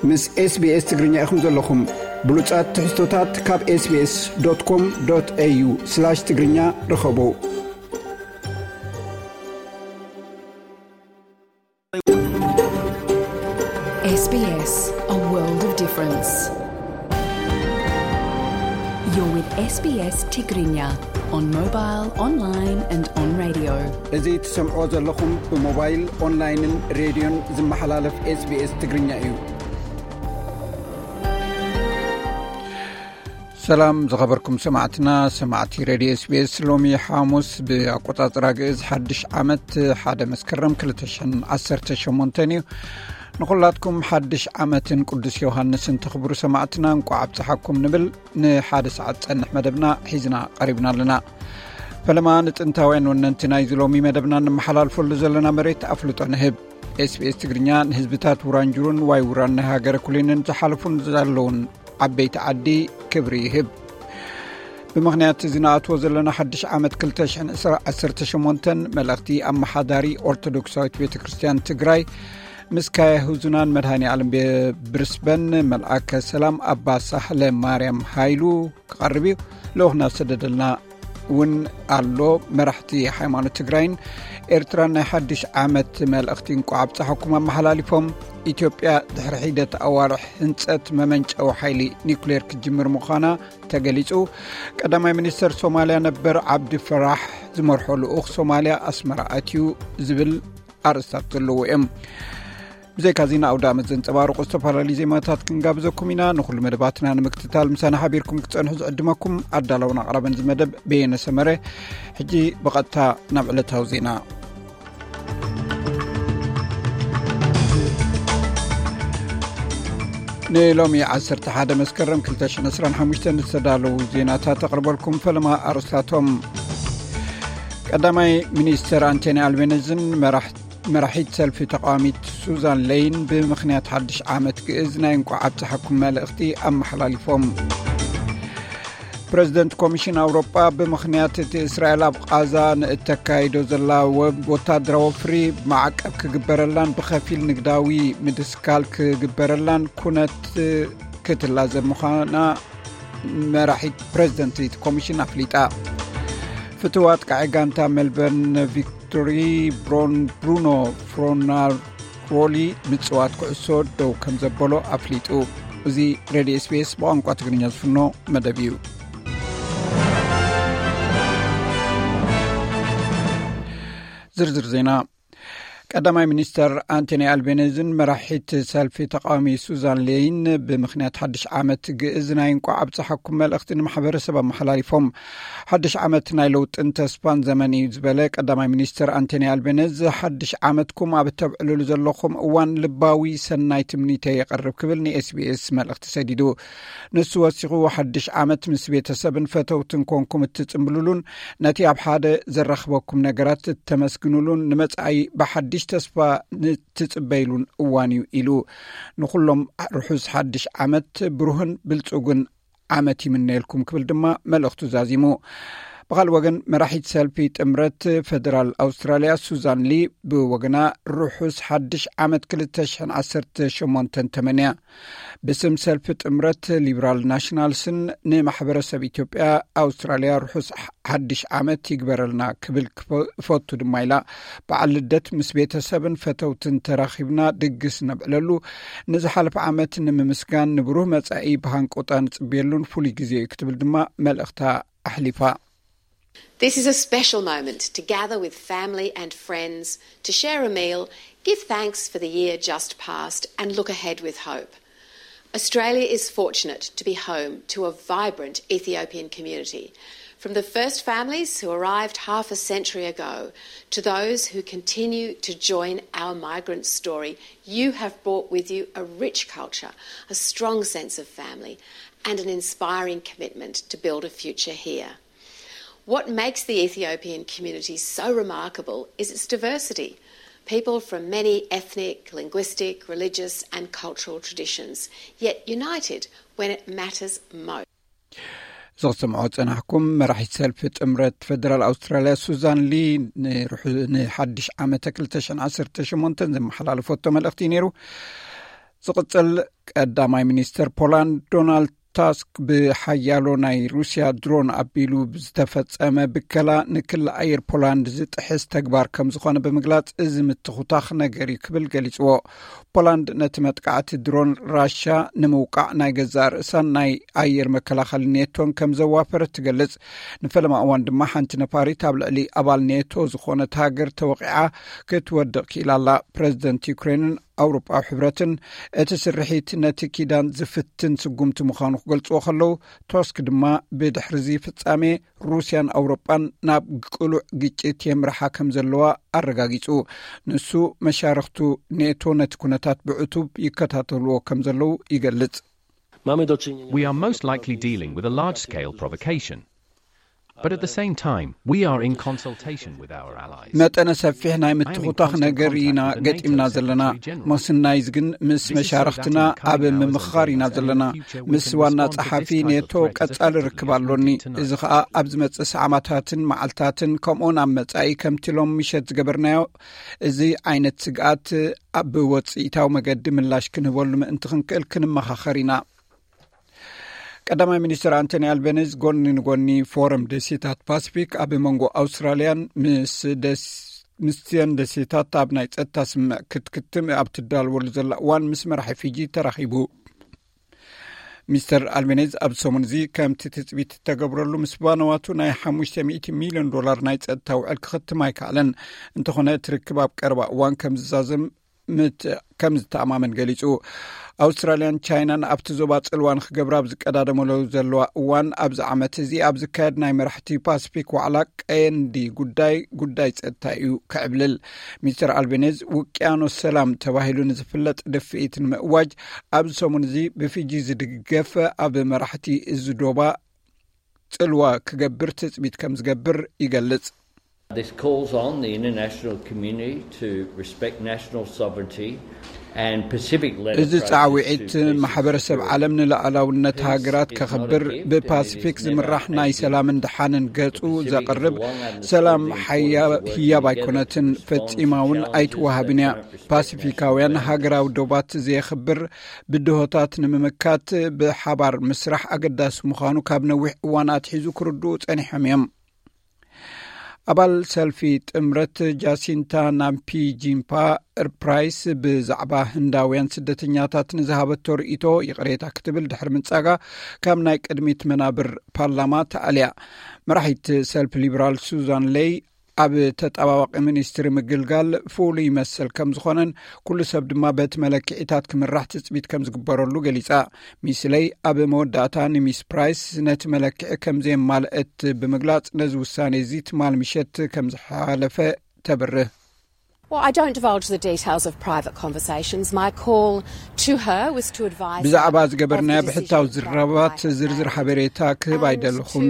ምስ SBS ትግርኛ ኢኹም ዘለኹም። ብሉጻት ትሕዝቶታት ካብ SBS.com.au/ትግርኛ ርኸቡ። S B S, a world of difference. You're with S B S Tigrinya on mobile, online and on radio. እዚ ትሰምዕዎ ዘለኹም ብሞባይል፣ ኦንላይንን ሬድዮን ዝመሓላለፍ SBS ትግርኛ እዩ። ሰላም ዝኸበርኩም ሰማዕትና፣ ሰማዕቲ ሬድዮ SBS። ሎሚ ሓሙስ ብኣቆጻጽራ ግእዝ ሓድሽ ዓመት ሓደ መስከረም ክልተ ሽሕን ዓሰርተ ሸሞንተን እዩ። ንኹላትኩም ሓድሽ ዓመትን ቅዱስ ዮሃንስን ተኽብሩ ሰማዕትና እንቋዕ ኣብጽሓኩም ንብል። ንሓደ ሰዓት ጸንሕ መደብና ሒዝና ቀሪብና ኣለና። ፈለማ ንጥንታውያን ወነንቲ ናይዚ ሎሚ መደብና እንመሓላልፈሉ ዘለና መሬት ኣፍልጦ ንህብ። SBS ትግርኛ ንህዝብታት ውራንጁሩን ዋይ ውራን ናይ ሃገረ ኩሊንን ዝሓለፉን ዘለውን ዓበይቲ ዓዲ ክብሪ ይህብ። ብምኽንያት እዚ ንኣትዎ ዘለና ሓድሽ ዓመት ክልተ ሽሕን ዓሰርተ ሸሞንተን፣ መልእኽቲ ኣመሓዳሪ ኦርቶዶክሳዊት ቤተ ክርስቲያን ትግራይ ምስ ካህነ ሕዙናን መድኃኔ ዓለም ቤ-፣ ብሪስበን፣ መልኣከ ሰላም ኣባ ሳህለ ማርያም ሃይሉ ክቐርብ እዩ። ልኡኽና ዝሰደደልና እውን ኣሎ። መራሕቲ ሃይማኖት ትግራይን ኤርትራን ናይ ሓድሽ ዓመት መልእኽቲ እንቋዕ ኣብጽሓኩም ኣመሓላሊፎም። ኢትዮጵያ ድሕሪ ሒደት ኣዋርሕ ህንጸት መመንጨዊ ሓይሊ ኒኩሌር ክትጅምር ምዃና ተገሊጹ። ቀዳማይ ሚኒስተር ሶማልያ ነበር ዓብዲ ፈራሕ ዝመርሖ ልኡኽ ሶማልያ ኣስመራ ኣትዩ ዝብል ኣርእስታት ዘለዎ እዮም። ብዘይካ ዜና ኣውደ ዓመት ዘንጸባርቑ ዝተፈላለዩ ዜማታት ክንጋብዘኩም ኢና። ንኹሉ መደባትና ንምክትታል ምሳና ሓቢርኩም ክትጸንሑ ዝዕድመኩም ኣዳላውን ኣቕራብን እዚ መደብ በየነ ሰመረ። ሕጂ ብቐጥታ ናብ ዕለታዊ ዜና። ንሎሚ ዓሰርተ ሓደ መስከረም ክልተ ሽሕን ዕስራን ሓሙሽተን ዝተዳለዉ ዜናታት ተቕርበልኩም። ፈለማ ኣርእስታቶም። ቀዳማይ ሚኒስተር ኣንቶኒ ኣልቤኒዝን መራሕ-፣ መራሒት ሰልፊ ተቃዋሚት ሱዛን ሌይን ብምኽንያት ሓድሽ ዓመት ግእዝ ናይ እንቋዕ ኣብጽሓኩም መልእኽቲ ኣመሓላሊፎም። ፕረዚደንት ኮሚሽን ኣውሮጳ ብምኽንያት እቲ እስራኤል ኣብ ቓዛ ንእተካይዶ ዘላ ወ-፣ ወታደራዊ ወፍሪ ማዕቀብ ክግበረላን ብኸፊል ንግዳዊ ምድስካል ክግበረላን ኩነት ክትላዘብ ምዃና መራሒት ፕረዚደንት እቲ ኮሚሽን ኣፍሊጣ። ፍትው ኣጥቃዒ ጋንታ ሜልበርን ቪክቶሪ ብሮን ብሩኖ ፍሮናሮሊ ምጽዋት ኩዕሶ ደው ከም ዘበሎ ኣፍሊጡ። እዚ ሬድዮ SBS ብቋንቋ ትግርኛ ዝፍኖ መደብ እዩ። ዝርዝር ዜና። ቀዳማይ ሚኒስተር ኣንቶኒ ኣልቤኒዝን መራሒት ሰልፊ ተቃዋሚ ሱዛን ሌይን ብምኽንያት ሓድሽ ዓመት ግእዝ ናይ እንቋዕ ኣብጽሓኩም መልእኽቲ ንማሕበረሰብ ኣመሓላሊፎም። ሓድሽ ዓመት ናይ ለውጥን ተስፋን ዘመን እዩ ዝበለ ቀዳማይ ሚኒስተር ኣንቶኒ ኣልቤኒዝ፣ ሓድሽ ዓመትኩም ኣብ እተብዕልሉ ዘለኹም እዋን ልባዊ ሰናይ ትምኒተይ የቐርብ ክብል ን SBS መልእኽቲ ሰዲዱ። ንሱ ወሲኹ፣ ሓድሽ ዓመት ምስ ቤተሰብን ፈተውትን ኮንኩም እትጽምብልሉን ነቲ ኣብ ሓደ ዘራኽበኩም ነገራት እተመስግኑሉን ንመጻኢ ብሓድሽ ተስፋ ንትጽበይሉን እዋን እዩ ኢሉ። ንኹሎም ርሑስ ሓድሽ ዓመት፣ ብሩህን ብልጹግን ዓመት ይምነየልኩም ክብል ድማ መልእኽቱ ዛዚሙ። ብኻልእ ወገን፣ መራሒት ሰልፊ ጥምረት ፈደራል ኣውስትራልያ ሱዛን ሊ ብወገና ርሑስ ሓድሽ ዓመት ክልተ ሽሕን ዓሰርተ ሸሞንተን ተመንያ። ብስም ሰልፊ ጥምረት ሊበራል ናሽናልስን ንማሕበረሰብ ኢትዮጵያ ኣውስትራልያ ርሑስ ሓድሽ ዓመት ይግበረልና ክብል ክፈ-፣ እፈቱ ድማ ኢላ። በዓል ልደት ምስ ቤተሰብን ፈተውትን ተራኺብና ድግስ ነብዕለሉ፣ ንዝሓለፈ ዓመት ንምምስጋን፣ ንብሩህ መጻኢ ብሃንቀውታ ንጽበየሉን ፍሉይ ግዜ እዩ ክትብል ድማ መልእኽታ ኣሕሊፋ። This is a special moment to gather with family and friends, to share a meal, give thanks for the year just past, and look ahead with hope. Australia is fortunate to be home to a vibrant Ethiopian community. From the first families who arrived half a century ago to those who continue to join our migrant story, you have brought with you a rich culture, a strong sense of family, and an inspiring commitment to build a future here. What makes the Ethiopian community so remarkable is its diversity. People from many ethnic, linguistic, religious, and cultural traditions, yet united when it matters most. ዝኽትምዖ ጸናሕኩም፣ መራሒት ሰልፊ ጥምረት ፈደራል ኣውስትራልያ ሱዛን ሊ ንርሑ-፣ ንሓድሽ ዓመተ ክልተ ሽሕን ዓሰርተ ሸሞንተን ዘመሓላለፈቶ መልእኽቲ እዩ ነይሩ። ዝቕጽል ቀዳማይ ሚኒስተር ፖላንድ ዶናልድ ታስክ፣ ብሓያሎ ናይ ሩስያ ድሮን ኣቢሉ ዝተፈጸመ ብከላ ንክሊ ኣየር ፖላንድ ዝጥሕስ ተግባር ከም ዝኾነ ብምግላጽ፣ እዚ ምትኹታኽ ነገር እዩ ክብል ገሊጽዎ። ፖላንድ ነቲ መጥቃዕቲ ድሮን ራሻ ንምውቃዕ ናይ ገዛእ ርእሳን ናይ ኣየር መከላኸሊ ኔቶን ከም ዘዋፈረት ትገልጽ። ንፈለማ እዋን ድማ ሓንቲ ነፋሪት ኣብ ልዕሊ ኣባል ኔቶ ዝኾነት ሃገር ተወቂዓ ክትወድቕ ክኢላ ኣላ። ፕረዚደንት ዩክሬንን ኣውሮጳዊ ሕብረትን እቲ ስርሒት ነቲ ኪዳን ዝፍትን ስጉምቲ ምዃኑ ክገልጽዎ ከለዉ፣ ቶስክ ድማ ብድሕሪ እዚ ፍጻሜ ሩስያን ኣውሮጳን ናብ ቅሉዕ ግጭት የምርሓ ከም ዘለዋ ኣረጋጊጹ። ንሱ፣ መሻርኽቱ ኔቶ ነቲ ኩነታት ብዕቱብ ይከታተልዎ ከም ዘለዉ ይገልጽ። We are most likely dealing with a large scale provocation. But at the same time, we are in consultation with our allies. መጠነ ሰፊሕ ናይ ምትኹታኽ ነገር ኢና ገጢምና ዘለና። ምስናይዝ ግን ምስ መሻርኽትና ኣብ ምምኽኻር ኢና ዘለና። ምስ ዋና ጸሓፊ ኔቶ ቀጻሊ ርክብ ኣሎኒ። እዚ ኸኣ ኣብ ዝመጽእ ሰዓማታትን መዓልታትን፣ ከምኡውን ኣብ መጻኢ ከምቲ ሎም ምሸት ዝገበርናዮ፣ እዚ ዓይነት ስግኣት ኣብ ወጽኢታዊ መገዲ ምላሽ ክንህበሉ ምእንቲ ክንክእል ክንመኻኸር ኢና። ቀዳማይ ሚኒስትር ኣንቶኒ ኣልበኒዝ ጎኒ ንጎኒ ፎረም ደሴታት ፓሲፊክ ኣብ መንጎ ኣውስትራልያን ምስ ደስ-፣ ምስቲአን ደሴታት ኣብ ናይ ጸጥታ ስምምዕ ክትክትም ኣብ ትዳልወሉ ዘላ እዋን ምስ መራሒ ፊጂ ተራኺቡ። ሚስተር ኣልቤኒዝ ኣብ ሰሙን እዚ ከምቲ ትጽቢት እተገብረሉ ምስ ባነዋቱ ናይ ሓሙሽተ ሚእቲ ሚልዮን ዶላር ናይ ጸጥታ ውዕል ክኽትም ኣይከኣለን። እንተኾነ እቲ ርክብ ኣብ ቀረባ እዋን ከም ዝዛዘም ምት-፣ ከም ዝተኣማመን ገሊጹ። ኣውስትራልያን ቻይናን ኣብቲ ዞባ ጽልዋ ንክገብራ ኣብ ዝቀዳደመሉ ዘለዋ እዋን፣ ኣብዚ ዓመት እዚ ኣብ ዝካየድ ናይ መራሕቲ ፓሲፊክ ዋዕላ ቀንዲ ጉዳይ፣ ጉዳይ ጸጥታ እዩ ክዕብልል። ሚስተር ኣልቤኒዝ ውቅያኖስ ሰላም ተባሂሉ ንዝፍለጥ ድፍኢት ንምእዋጅ ኣብዚ ሰሙን እዚ ብፊጂ ዝድገፍ ኣብ መራሕቲ እዚ ዶባ ጽልዋ ክገብር ትጽቢት ከም ዝገብር ይገልጽ። This calls on the international community to respect national sovereignty and Pacific led እዚ ጻዕዊዒት ማሕበረሰብ ዓለም ንሉዓላውነት ሃገራት ከኽብር፣ ብፓሲፊክ ዝምራሕ ናይ ሰላምን ደሓንን ገጹ ዘቕርብ ሰላም ሓያ-፣ ህያብ ኣይኮነትን፣ ፈጺማ እውን ኣይትወሃብን እያ። ፓሲፊካውያን ሃገራዊ ዶባት ዘየኽብር ብድሆታት ንምምካት ብሓባር ምስራሕ ኣገዳሲ ምዃኑ ካብ ነዊሕ እዋን ኣትሒዙ ክርድኡ ጸኒሖም እዮም። ኣባል ሰልፊ ጥምረት ጃሲንታ ናምፒጂምፓ ፕራይስ ብዛዕባ ህንዳውያን ስደተኛታት ንዝሃበቶ ርእይቶ ይቕሬታ ክትብል ድሕሪ ምንጻጋ ካብ ናይ ቅድሚት መናብር ፓርላማ ተኣልያ። መራሒት ሰልፊ ሊበራል ሱዛን ሌይ ኣብ ተጣባባቂ ሚኒስትሪ ምግልጋል ፍሉይ መሰል ከም ዝኾነን ኩሉ ሰብ ድማ በቲ መለክዒታት ክምራሕ ትጽቢት ከም ዝግበረሉ ገሊጻ። ሚስ ሌይ ኣብ መወዳእታ ንሚስ ፕራይስ ነቲ መለክዒ ከም ዘየማልአት ብምግላጽ ነዚ ውሳኔ እዚ ትማል ምሸት ከም ዝሓለፈ ተብርህ። Well, I don't divulge the details of private conversations. My call to her was to advise ብዛዕባ ዝገበርናዮ ብሕታዊ ዝራባት ዝርዝር ሓበሬታ ክህብ ኣይደለኹን።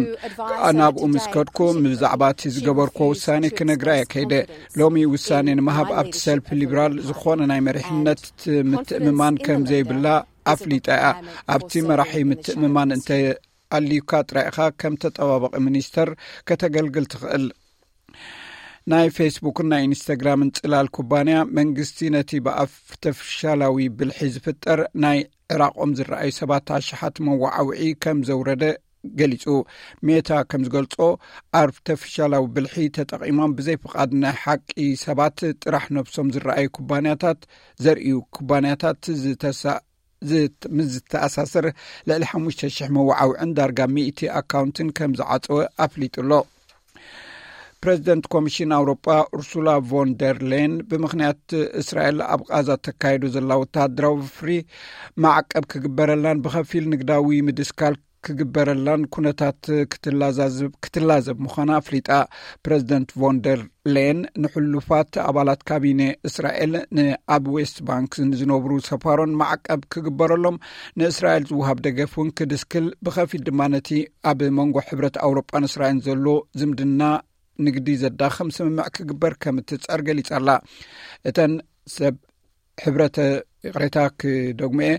ናብኡ ምስ ከድኩ ብዛዕባ እቲ ዝገበርኩዎ ውሳኔ ክነግራ እየ ከይደ። ሎሚ ውሳኔ ንምሃብ ኣብቲ ሰልፊ ሊበራል ዝኾነ ናይ መሪሕነት ምትእምማን ከም ዘይብላ ኣፍሊጣ እያ። ኣብቲ መራሒ ምትእምማን እንተ ኣልዩካ ጥራይ ኢኻ ከም ተጠባባቂ ሚኒስተር ከተገልግል ትኽእል። ናይ ፌስቡክን ናይ ኢንስታግራምን ጽላል ኩባንያ፣ መንግስቲ ነቲ ብኣርተፊሻላዊ ብልሒ ዝፍጠር ናይ ዕራቖም ዝረኣዩ ሰባት ኣሽሓት መወዓውዒ ከም ዘውረደ ገሊጹ። ሜታ ከም ዝገልጾ፣ ኣርተፊሻላዊ ብልሒ ተጠቒሞም ብዘይ ፍቓድ ናይ ሓቂ ሰባት ጥራሕ ነብሶም ዝረኣዩ ኩባንያታት፣ ዘርእዩ ኩባንያታት ዝተሳ-፣ ዝት-፣ ምስ ዝተኣሳሰር፣ ልዕሊ ሓሙሽተ ሽሕ መወዓውዕን ዳርጋ ሚእቲ ኣካውንትን ከም ዝዓጸወ ኣፍሊጡ ኣሎ። ፕረዚደንት ኮሚሽን ኣውሮጳ ኡርሱላ ቮን ደር ሌን፣ ብምኽንያት እስራኤል ኣብ ቓዛ ተካይዶ ዘላ ወተሃደራዊ ፍሪ ማዕቀብ ክግበረላን ብኸፊል ንግዳዊ ምድስካል ክግበረላን ኩነታት ክትላዛዝብ፣ ክትላዘብ ምዃና ኣፍሊጣ። ፕረዚደንት ቮን ደር ሌን ንሕሉፋት ኣባላት ካቢነ እስራኤል ንኣብ ዌስት ባንክ ንዝነብሩ ሰፋሮን ማዕቀብ ክግበረሎም፣ ንእስራኤል ዝወሃብ ደገፍ እውን ክድስክል፣ ብኸፊል ድማ ነቲ ኣብ መንጎ ሕብረት ኣውሮጳን እስራኤልን ዘሎ ዝምድና ንግዲ ዘዳኸም ስምምዕ ክግበር ከም እትጽዕር ገሊጻ ኣላ። እተን ሰብ ሕብረት፣ ይቕሬታ ክደግሞ እየ፣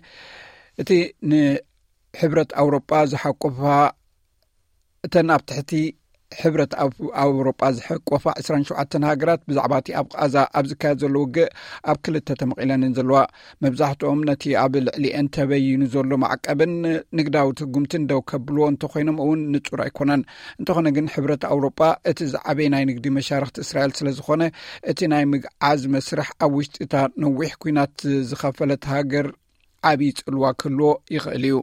እቲ ንሕብረት ኣውሮጳ ዝሓቁፋ፣ እተን ኣብ ትሕቲ ሕብረት ኣብ ኣውሮጳ ዝሕቆፋ ዕስራን ሸውዓተን ሃገራት ብዛዕባ እቲ ኣብ ቃዛ ኣብ ዝካየድ ዘሎ ውግእ ኣብ ክልተ ተመቒለን እየን ዘለዋ። መብዛሕትኦም ነቲ ኣብ ልዕሊኤን ተበይኑ ዘሎ ማዕቀብን ንግዳዊ ትጉምትን ደው ከብልዎ እንተኾይኖም እውን ንጹር ኣይኮነን። እንተኾነ ግን ሕብረት ኣውሮጳ እቲ ዝዓበየ ናይ ንግዲ መሻርክቲ እስራኤል ስለ ዝኾነ እቲ ናይ ምግዓዝ መስርሕ ኣብ ውሽጢ እታ ነዊሕ ኲናት ዝኸፈለት ሃገር ዓብዪ ጽልዋ ክህልዎ ይኽእል እዩ።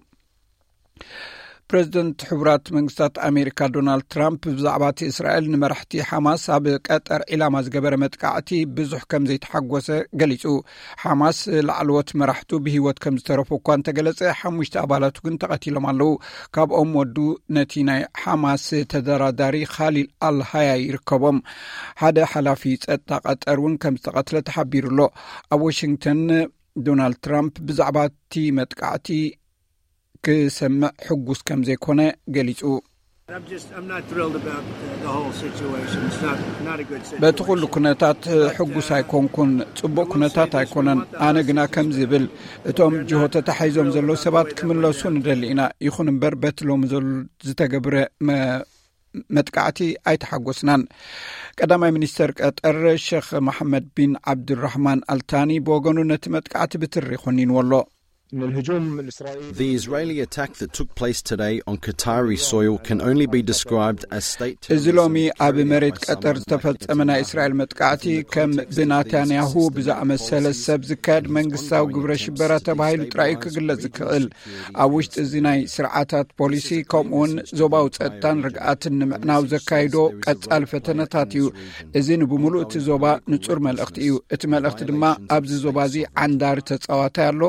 ፕሬዚደንት ሕቡራት መንግስታት ኣሜሪካ ዶናልድ ትራምፕ ብዛዕባ እቲ እስራኤል ንመራሕቲ ሓማስ ኣብ ቀጠር ዒላማ ዝገበረ መጥቃዕቲ ብዙሕ ከም ዘይተሓጎሰ ገሊጹ። ሓማስ ላዕለዎት መራሕቱ ብህይወት ከም ዝተረፉ እኳ እንተገለጸ፣ ሓሙሽተ ኣባላቱ ግን ተቐቲሎም ኣለዉ። ካብኦም ወዱ ነቲ ናይ ሓማስ ተደራዳሪ ካሊል ኣልሃያ ይርከቦም። ሓደ ሓላፊ ጸጥታ ቀጠር እውን ከም ዝተቐትለ ተሓቢሩ ኣሎ። ኣብ ዋሽንግተን ዶናልድ ትራምፕ ብዛዕባ እቲ መጥቃዕቲ ክሰምዕ ሕጉስ ከም ዘይኮነ ገሊጹ። I'm just, I'm not thrilled about the, the whole situation. It's not, not a good situation. በቲ ኩሉ ኩነታት ሕጉስ ኣይኮንኩን። ጽቡቕ ኩነታት ኣይኮነን። ኣነ ግና ከም ዝብል፣ እቶም ጅሆ ተታሒዞም ዘለዉ ሰባት ክምለሱ ንደሊ ኢና። ይኹን እምበር በቲ ሎሚ ዘሎ ዝተገብረ መ-፣ መጥቃዕቲ ኣይተሓጎስናን። ቀዳማይ ሚኒስተር ቀጠር ሸኽ መሓመድ ቢን ዓብድራሕማን ኣልታኒ ብወገኑ ነቲ መጥቃዕቲ ብትሪ ኮኒንዎ ኣሎ። The Israeli attack that took place today on Qatari soil can only be described as state terrorism. እዚ ሎሚ ኣብ መሬት ቀጠር ዝተፈጸመ ናይ እስራኤል መጥቃዕቲ ከም ብናታንያሁ ብዝኣመሰለ ሰብ ዝካየድ መንግስታዊ ግብረ ሽበራ ተባሂሉ ጥራይ ክግለጽ ዝክእል። ኣብ ውሽጢ እዚ ናይ ስርዓታት ፖሊሲ ከምኡውን ዞባዊ ጸጥታን ርግኣትን ንምዕናው ዘካይዶ ቀጻሊ ፈተነታት እዩ። እዚ ንብምሉእ እቲ ዞባ ንጹር መልእኽቲ እዩ። እቲ መልእኽቲ ድማ ኣብዚ ዞባ እዚ ዓንዳሪ ተጻዋታይ ኣሎ።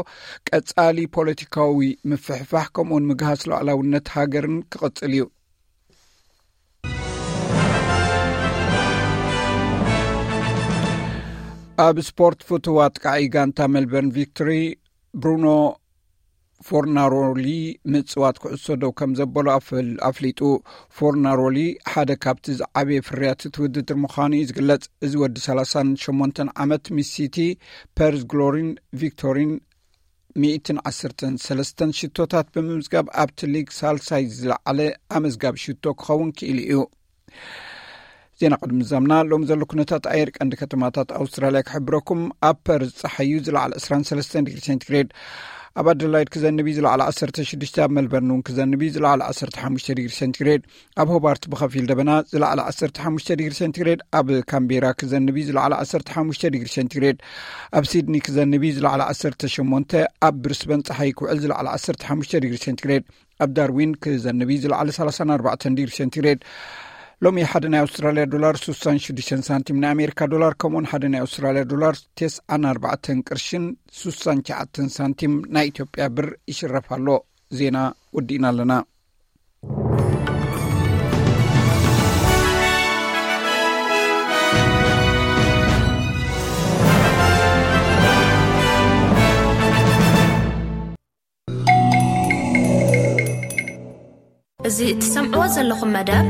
ቀጻሊ ፖለቲካዊ ምፍሕፋሕ ከምኡውን ምግሃስ ሉዓላውነት ሃገርን ክቕጽል እዩ። ኣብ ስፖርት፣ ፍቱው ኣጥቃዒ ጋንታ ሜልበርን ቪክቶሪ ብሩኖ ፎርናሮሊ ምጽዋት ኩዕሶ ደው ከም ዘበሎ ኣፍል-፣ ኣፍሊጡ። ፎርናሮሊ ሓደ ካብቲ ዝዓበየ ፍርያት እቲ ውድድር ምዃኑ እዩ ዝግለጽ። እዚ ወዲ ሰላሳን ሸሞንተን ዓመት ምስ ሲቲ፣ ፐርዝ ግሎሪን ቪክቶሪን ሚእትን ዓሰርተን ሰለስተን ሽቶታት ብምምዝጋብ ኣብቲ ሊግ ሳልሳይ ዝለዓለ ኣመዝጋቢ ሽቶ ክኸውን ክኢሉ እዩ። ዜና ቅድሚ ዛምና ሎሚ ዘሎ ኩነታት ኣየር ቀንዲ ከተማታት ኣውስትራልያ ክሕብረኩም። ኣብ ፐርዝ ጸሓዩ ዝለዓለ ዕስራን ሰለስተን ዲግሪ ሴንቲግሬድ፣ ኣብ ኣደላይድ ክዘንብ እዩ ዝለዓለ ዓሰርተ ሽዱሽተ፣ ኣብ መልበርን እውን ክዘንብ እዩ ዝለዓለ ዓሰርተ ሓሙሽተ ዲግሪ ሴንቲግሬድ፣ ኣብ ሆባርት ብኸፊል ደበና ዝለዓለ ዓሰርተ ሓሙሽተ ዲግሪ ሴንቲግሬድ፣ ኣብ ካምቤራ ክዘንብ እዩ ዝለዓለ ዓሰርተ ሓሙሽተ ዲግሪ ሴንቲግሬድ፣ ኣብ ሲድኒ ክዘንብ እዩ ዝለዓለ ዓሰርተ ሸሞንተ፣ ኣብ ብሪስበን ጸሓይ ክውዕል ዝለዓለ ዓሰርተ ሓሙሽተ ዲግሪ ሴንቲግሬድ፣ ኣብ ዳርዊን ክዘንብ እዩ ዝለዓለ ሰላሳን ኣርባዕተን ዲግሪ ሴንቲግሬድ። ሎሚ ሓደ ናይ ኣውስትራልያ ዶላር ስሳን ሽዱሽተን ሳንቲም፣ ናይ ኣሜሪካ ዶላር ከምኡውን ሓደ ናይ ኣውስትራልያ ዶላር ተስዓን ኣርባዕተን ቅርሽን ስሳን ትሽዓተን ሳንቲም ናይ ኢትዮጵያ ብር ይሽረፍ ኣሎ። ዜና ወዲእና ኣለና። እዚ እትሰምዕዎ ዘለኹም መደብ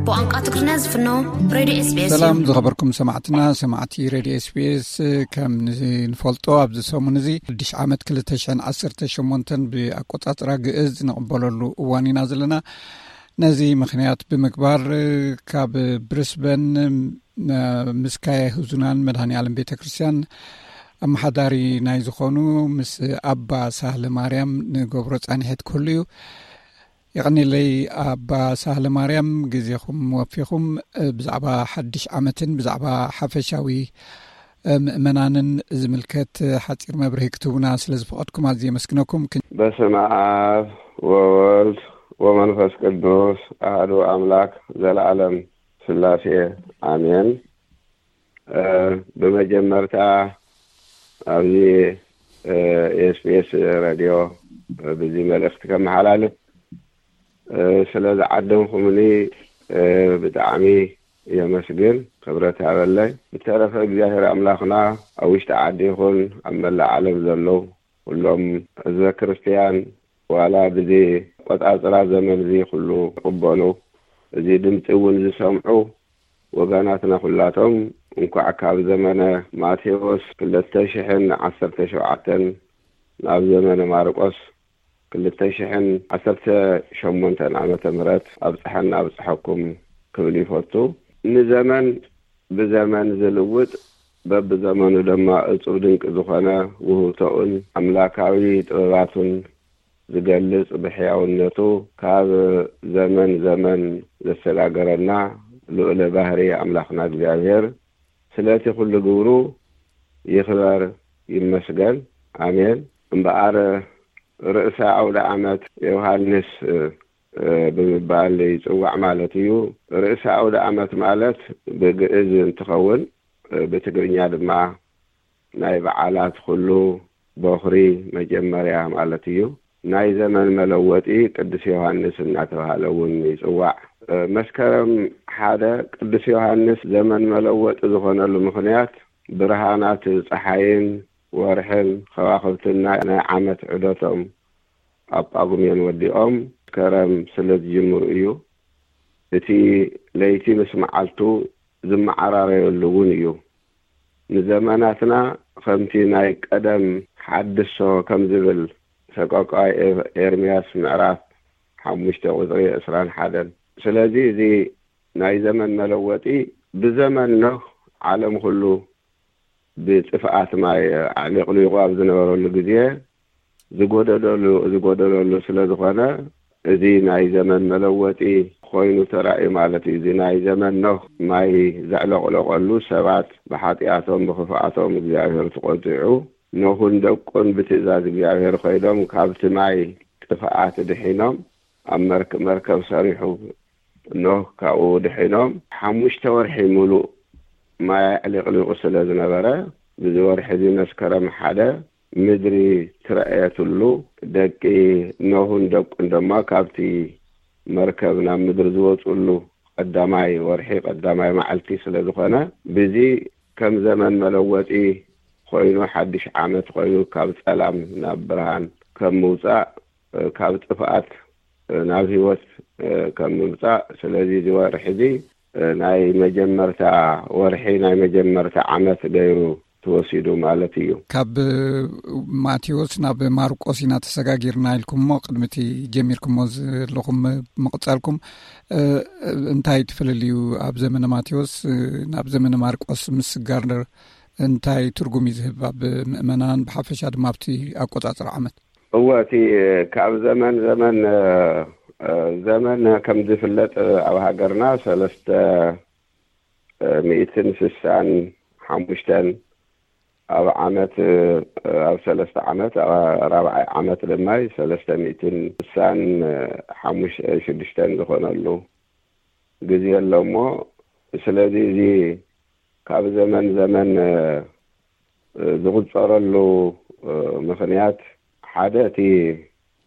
ብቋንቋ ትግርኛ ዝፍኖ ሬድዮ ኤስቢኤስ እዩ። ሰላም ዝኸበርኩም ሰማዕትና፣ ሰማዕቲ ሬድዮ ኤስቢኤስ፣ ከም ንፈልጦ ኣብዚ ሰሙን እዚ ሓድሽ ዓመት ክልተ ሽሕን ዓሰርተ ሸሞንተን ብኣቆጻጽራ ግእዝ ንቕበለሉ እዋን ኢና ዘለና። ነዚ ምኽንያት ብምግባር ካብ ብሪስበን ምስ ካየ ህዙናን መድኃኔ ዓለም ቤተ ክርስቲያን ኣመሓዳሪ ናይ ዝኾኑ ምስ ኣባ ሳህለ ማርያም ንገብሮ ጻኒሒት ክህሉ እዩ። የቐኒለይ ኣባ ሳህለ ማርያም፣ ግዜኹም ወፊኹም ብዛዕባ ሓድሽ ዓመትን ብዛዕባ ሓፈሻዊ ምእመናንን ዝምልከት ሓጺር መብርሂ ክትህቡና ስለ ዝፈቐድኩም ኣዝየ የመስግነኩም። በስመ ኣብ ወወልድ ወመንፈስ ቅዱስ ኣሐዱ ኣምላክ ዘለዓለም ስላሴ ኣሜን። እ፣ ብመጀመርታ ኣብዚ፣ እ፣ ኤስቢኤስ ሬድዮ፣ እ፣ ብዚ መልእኽቲ ከመሓላልፍ፣ እ፣ ስለ ዝዓደምኩምኒ፣ እ፣ ብጣዕሚ የመስግን፣ ክብረት ሃበለይ። ብተረፈ እግዚኣብሔር ኣምላኽና ኣብ ውሽጢ ዓዲ ይኹን ኣብ መላእ ዓለም ዘለዉ ኩሎም ህዝበ ክርስትያን ዋላ ብዚ ቆጻጽራ ዘመን እዚ ኩሉ ይቕበሉ፣ እዚ ድምፂ እውን ዝሰምዑ ወገናትና ኩላቶም እንኳዕ ካብ ዘመነ ማቴዎስ ክልተ ሽሕን ዓሰርተ ሸውዓተን ናብ ዘመነ ማርቆስ ክልተ ሽሕን ዓሰርተ ሸሞንተን ዓመተ ምህረት ኣብፀሐና ኣብፀሐኩም ክብል ይፈቱ። ንዘመን ብዘመን ዝልውጥ፣ በብዘመኑ ድማ እጹብ ድንቂ ዝኾነ ውህብቶኡን ኣምላካዊ ጥበባቱን ዝገልጽ፣ ብሕያውነቱ ካብ ዘመን ዘመን ዘሰጋገረና ልዑለ ባህሪ ኣምላኽና እግዚኣብሔር፣ ስለቲ ኩሉ ግብሩ ይኽበር ይመስገን። ኣሜን። እምበኣር ርእሰ ኣውደ ዓመት ዮሃንስ፣ እ፣ ብምባል ይጽዋዕ ማለት እዩ። ርእሰ ኣውደ ዓመት ማለት ብግእዝ እንትኸውን፣ እ፣ ብትግርኛ ድማ ናይ በዓላት ኩሉ ቦኽሪ፣ መጀመርያ ማለት እዩ። ናይ ዘመን መለወጢ ቅዱስ ዮሃንስ እናተባህለ እውን ይጽዋዕ። እ፣ መስከረም ሓደ ቅዱስ ዮሃንስ ዘመን መለወጢ ዝኾነሉ ምኽንያት፣ ብርሃናት ጸሓይን ወርሕን ከዋኽብትን ናይ፣ ናይ ዓመት ዑደቶም ኣብ ጳጉሜን ወዲኦም መስከረም ስለ ዝጅምሩ እዩ። እቲ ለይቲ ምስ መዓልቱ ዝመዓራረየሉ እውን እዩ። ንዘመናትና ከምቲ ናይ ቀደም ሓድሶ ከም ዝብል ሰቆቃይ ኤር-፣ ኤርምያስ ምዕራፍ ሓሙሽተ ቁጽሪ ዕስራን ሓደን። ስለዚ እዚ ናይ ዘመን መለወጢ ብዘመን ኖህ ዓለም ኩሉ ብጥፍኣት ማይ ኣዕሊቕሊቑ ኣብ ዝነበረሉ ግዜ ዝጎደለሉ፣ ዝጎደለሉ ስለ ዝኾነ፣ እዚ ናይ ዘመን መለወጢ ኮይኑ ተራእዩ ማለት እዩ። እዚ ናይ ዘመን ኖህ ማይ ዘዕለቕለቐሉ፣ ሰባት ብሓጢኣቶም ብኽፍኣቶም እግዚኣብሔር ተቖጢዑ፣ ኖህን ደቁን ብትእዛዝ እግዚኣብሔር ኮይዶም ካብቲ ማይ ጥፍኣት ድሒኖም ኣብ መርክ-፣ መርከብ ሰሪሑ ኖህ ካብኡ ድሒኖም ሓሙሽተ ወርሒ ሙሉእ ማይ ኣዕሊቕሊቑ ስለ ዝነበረ፣ ብዚ ወርሒ እዚ መስከረም ሓደ ምድሪ ትረኣየትሉ፣ ደቂ ኖህን ደቁን ድማ ካብቲ መርከብ ናብ ምድሪ ዝወፅሉ ቀዳማይ ወርሒ ቀዳማይ መዓልቲ ስለ ዝኾነ፣ ብዚ ከም ዘመን መለወጢ ኮይኑ፣ ሓድሽ ዓመት ኮይኑ፣ ካብ ጸላም ናብ ብርሃን ከም ምውጻእ፣ ካብ ጥፍኣት ናብ ህይወት ከም ምምጻእ። ስለዚ እዚ ወርሒ እዚ ናይ መጀመርታ ወርሒ፣ ናይ መጀመርታ ዓመት ገይሩ ተወሲዱ ማለት እዩ። ካብ ማቴዎስ ናብ ማርቆስ ኢና ተሰጋጊርና ኢልኩም እሞ፣ ቅድሚ እቲ ጀሚርኩሞ ዘለኹም ምቕጻልኩም፣ እ፣ እንታይ እቲ ፍልልዩ? ኣብ ዘመነ ማቴዎስ፣ እ፣ ናብ ዘመነ ማርቆስ ምስጋር እንታይ ትርጉም እዩ ዝህብ ኣብ ምእመናን፣ ብሓፈሻ ድማ ኣብቲ ኣቆጻጽራ ዓመት? እወ፣ እቲ ካብ ዘመን ዘመን፣ እ፣ እ፣ ዘመን ከም ዝፍለጥ ኣብ ሃገርና ሰለስተ፣ እ፣ ሚእትን ስሳን ሓሙሽተን ኣብ ዓመት፣ እ፣ ኣብ ሰለስተ ዓመት፣ ኣብ ራብዓይ ዓመት ድማ ሰለስተ ሚእትን ስሳን ሓሙሽተ፣ ሽዱሽተን ዝኾነሉ ግዜ ኣሎ እሞ፣ ስለዚ እዚ ካብ ዘመን ዘመን፣ እ፣ ዝቑጸረሉ፣ እ፣ ምኽንያት ሓደ እቲ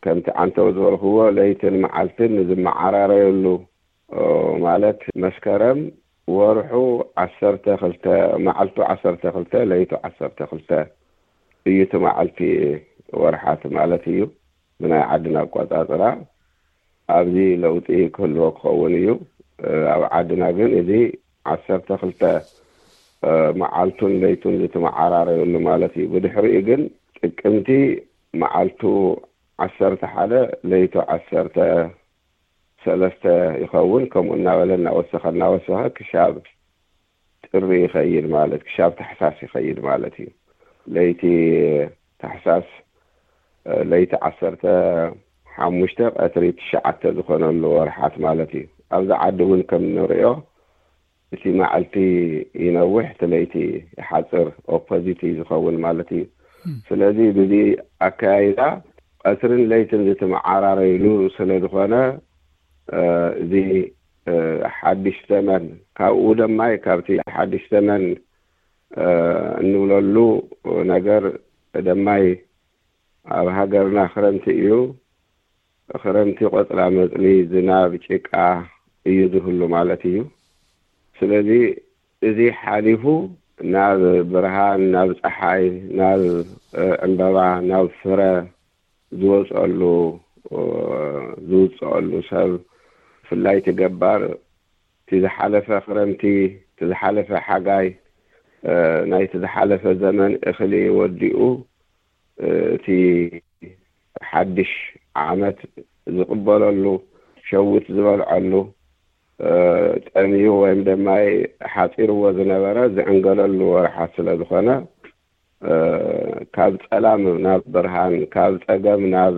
ከምቲ ዓንተው ዝበልክዎ ለይትን መዓልትን ዝመዓራረየሉ፣ እ፣ ማለት መስከረም ወርሑ ዓሰርተ ክልተ፣ መዓልቱ ዓሰርተ ክልተ፣ ለይቱ ዓሰርተ ክልተ እዩ እቲ መዓልቲ ወርሓት ማለት እዩ ብናይ ዓድና ኣቆጻጽራ። ኣብዚ ለውጢ ክህልዎ ክኸውን እዩ። እ፣ ኣብ ዓድና ግን እዚ ዓሰርተ ክልተ፣ እ፣ መዓልቱን ለይቱን ዝተመዓራረየሉ ማለት እዩ። ብድሕሪኡ ግን ጥቅምቲ መዓልቱ ዓሰርተ ሓደ ለይቱ ዓሰርተ ሰለስተ ይኸውን። ከምኡ እናበለ እናወሰኸ እናወሰኸ ክሻብ ጥሪ ይኸይድ ማለት፣ ክሻብ ታሕሳስ ይኸይድ ማለት እዩ። ለይቲ ታሕሳስ፣ እ፣ ለይቲ ዓሰርተ ሓሙሽተ ቀትሪ ትሽዓተ ዝኾነሉ ወርሓት ማለት እዩ። ኣብዚ ዓዲ እውን ከም ንሪኦ እቲ መዓልቲ ይነውሕ፣ እቲ ለይቲ ይሓጽር፣ ኦፖዚት እዩ ዝኸውን ማለት እዩ። እም። ስለዚ ብዚ ኣከያይዳ ቀትርን ለይትን ዝተመዓራረይሉ ስለ ዝኾነ፣ እ፣ እዚ፣ እ፣ ሓድሽ ዘመን ካብኡ ደማይ ካብቲ ሓድሽ ዘመን፣ እ፣ እንብለሉ ነገር ደማይ ኣብ ሃገርና ክረምቲ እዩ። ክረምቲ ቆጽላ መጽሊ፣ ዝናብ፣ ጭቃ እዩ ዝህሉ ማለት እዩ። ስለዚ እዚ ሓሊፉ ናብ ብርሃን፣ ናብ ጸሓይ፣ ናብ፣ እ፣ ዕምበባ፣ ናብ ፍረ ዝወጽኣሉ፣ እ፣ ዝውጽኣሉ ሰብ፣ ብፍላይ እቲ ገባር፣ እቲ ዝሓለፈ ክረምቲ፣ እቲ ዝሓለፈ ሓጋይ፣ እ፣ ናይቲ ዝሓለፈ ዘመን እኽሊ ወዲኡ፣ እ፣ እቲ ሓድሽ ዓመት ዝቕበለሉ፣ ሸዊት ዝበልዐሉ፣ ጸሚዩ ወይም ድማ ሓጺርዎ ዝነበረ ዝዕንገለሉ ወርሓት ስለ ዝኾነ፣ ካብ ጸላም ናብ ብርሃን፣ ካብ ጸገም ናብ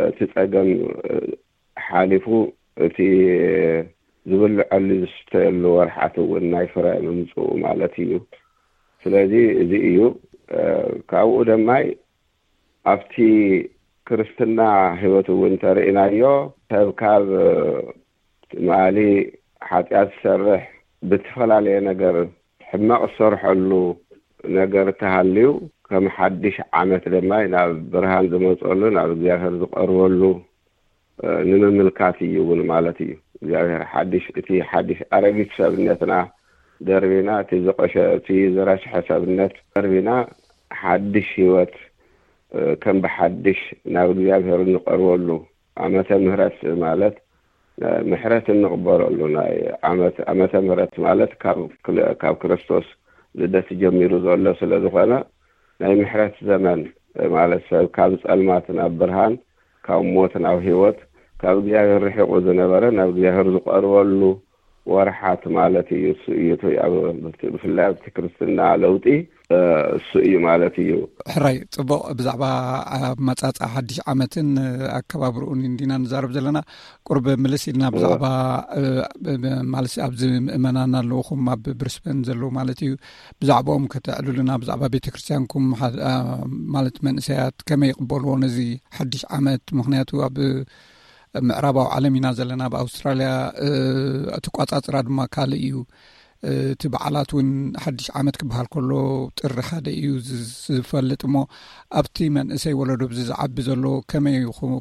እቲ ጸገም ሓሊፉ እቲ ዝብልዐሉ ዝስተየሉ ወርሓት እውን ናይ ፍረ ምምፅኡ ማለት እዩ። ስለዚ እዚ እዩ። ካብኡ ደማይ ኣብቲ ክርስትና ህይወት እውን ተርእናዮ ሰብ ካብ ትማሊ ሓጢኣት ዝሰርሕ ብዝተፈላለየ ነገር ሕማቕ ዝሰርሐሉ ነገር ተሃልዩ ከም ሓድሽ ዓመት ድማ ናብ ብርሃን ዝመፀሉ ናብ እግዚኣብሔር ዝቐርበሉ ንምምልካት እዩ እውን ማለት እዩ። እግዚኣብሔር ሓድሽ እቲ ሓድሽ ኣረጊት ሰብነትና ደርቢና እቲ ዝቆሸ እቲ ዝረስሐ ሰብነት ደርቢና ሓድሽ ህይወት ከም ብሓድሽ ናብ እግዚኣብሔር እንቐርበሉ ዓመተ ምህረት ማለት ምሕረት እንቕበለሉ ናይ ዓመት ዓመተ ምህረት ማለት ካብ ክል- ካብ ክርስቶስ ልደት ጀሚሩ ዘሎ ስለ ዝኾነ ናይ ምሕረት ዘመን ማለት ሰብ ካብ ጸልማት ናብ ብርሃን ካብ ሞት ናብ ህይወት ካብ እግዚኣብሔር ርሒቑ ዝነበረ ናብ እግዚኣብሔር ዝቐርበሉ ወርሓት ማለት እዩ። እሱ እዩ እቲ ኣብ ብፍላይ ኣብቲ ክርስትና ለውጢ እሱ እዩ ማለት እዩ። ሕራይ ጽቡቕ። ብዛዕባ ኣመጻጽኣ ሓድሽ ዓመትን ኣከባብርኡን እንዲና ንዛረብ ዘለና። ቁርብ ምልስ ኢልና ብዛዕባ ማለት ኣብዚ ምእመናን ኣለውኹም ኣብ ብሪስበን ዘለዉ ማለት እዩ፣ ብዛዕባኦም ከተዕልሉና፣ ብዛዕባ ቤተ ክርስቲያንኩም ማለት መንእሰያት ከመይ ይቕበልዎ ነዚ ሓድሽ ዓመት? ምክንያቱ ኣብ ምዕራባዊ ዓለም ኢና ዘለና፣ ኣብ ኣውስትራልያ እቲ ቋጻጽራ ድማ ካልእ እዩ። እቲ በዓላት እውን ሓድሽ ዓመት ክበሃል ከሎ ጥሪ ሓደ እዩ ዝፈልጥ እሞ ኣብቲ መንእሰይ ወለዶ ብዚ ዝዓቢ ዘሎ ከመይ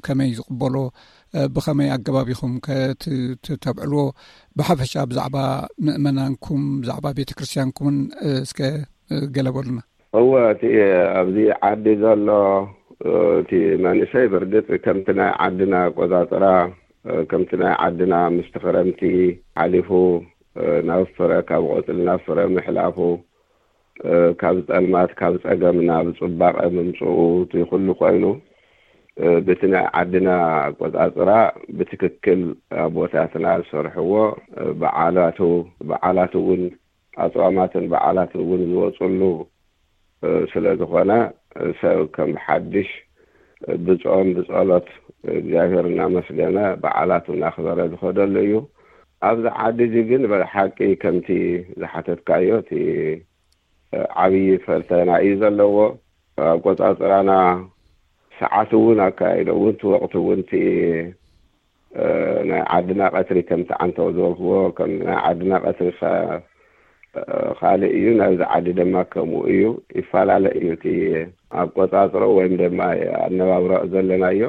ከመይ ዝቕበሎ፣ ብኸመይ ኣገባብ ኢኹም ከተብዕልዎ? ብሓፈሻ ብዛዕባ ምእመናንኩም ብዛዕባ ቤተ ክርስቲያንኩምን እስከ ገለ በሉና። እወ እቲ ኣብዚ ዓዲ ዘሎ እቲ መንእሰይ ብርግፅ ከምቲ ናይ ዓድና ኣቆፃፅራ ከምቲ ናይ ዓድና ምስቲ ክረምቲ ሓሊፉ ናብ ፍረ ካብ ቆፅሊ ናብ ፍረ ምሕላፉ ካብ ፀልማት ካብ ፀገም ናብ ፅባቐ ምምፅኡ እቲ ኩሉ ኮይኑ ብቲ ናይ ዓድና ኣቆፃፅራ ብትክክል ኣቦታትና ዝሰርሕዎ በዓላቱ በዓላት እውን ኣፅዋማትን በዓላትን እውን ዝወፅሉ ስለ ዝኾነ ሰብ ከም ሓድሽ ብፆም ብፀሎት እግዚኣብሔር እናመስገነ በዓላቱ እናኽበረ ዝኸደሉ እዩ። ኣብዚ ዓዲ እዚ ግን ብሓቂ ከምቲ ዝሓተትካዮ እቲ ዓብዪ ፈተና እዩ ዘለዎ። ኣቆፃፅራና ሰዓት እውን ኣካይዶ እውን እቲ ወቕቲ እውን እቲ ናይ ዓድና ቀትሪ ከምቲ ዓንተው ዝበልክዎ ከም ናይ ዓድና ቀትሪ ካልእ እዩ። ናብዚ ዓዲ ድማ ከምኡ እዩ፣ ይፈላለ እዩ እቲ ኣቆፃፅሮ ወይም ድማ ኣነባብሮ ዘለናዮ።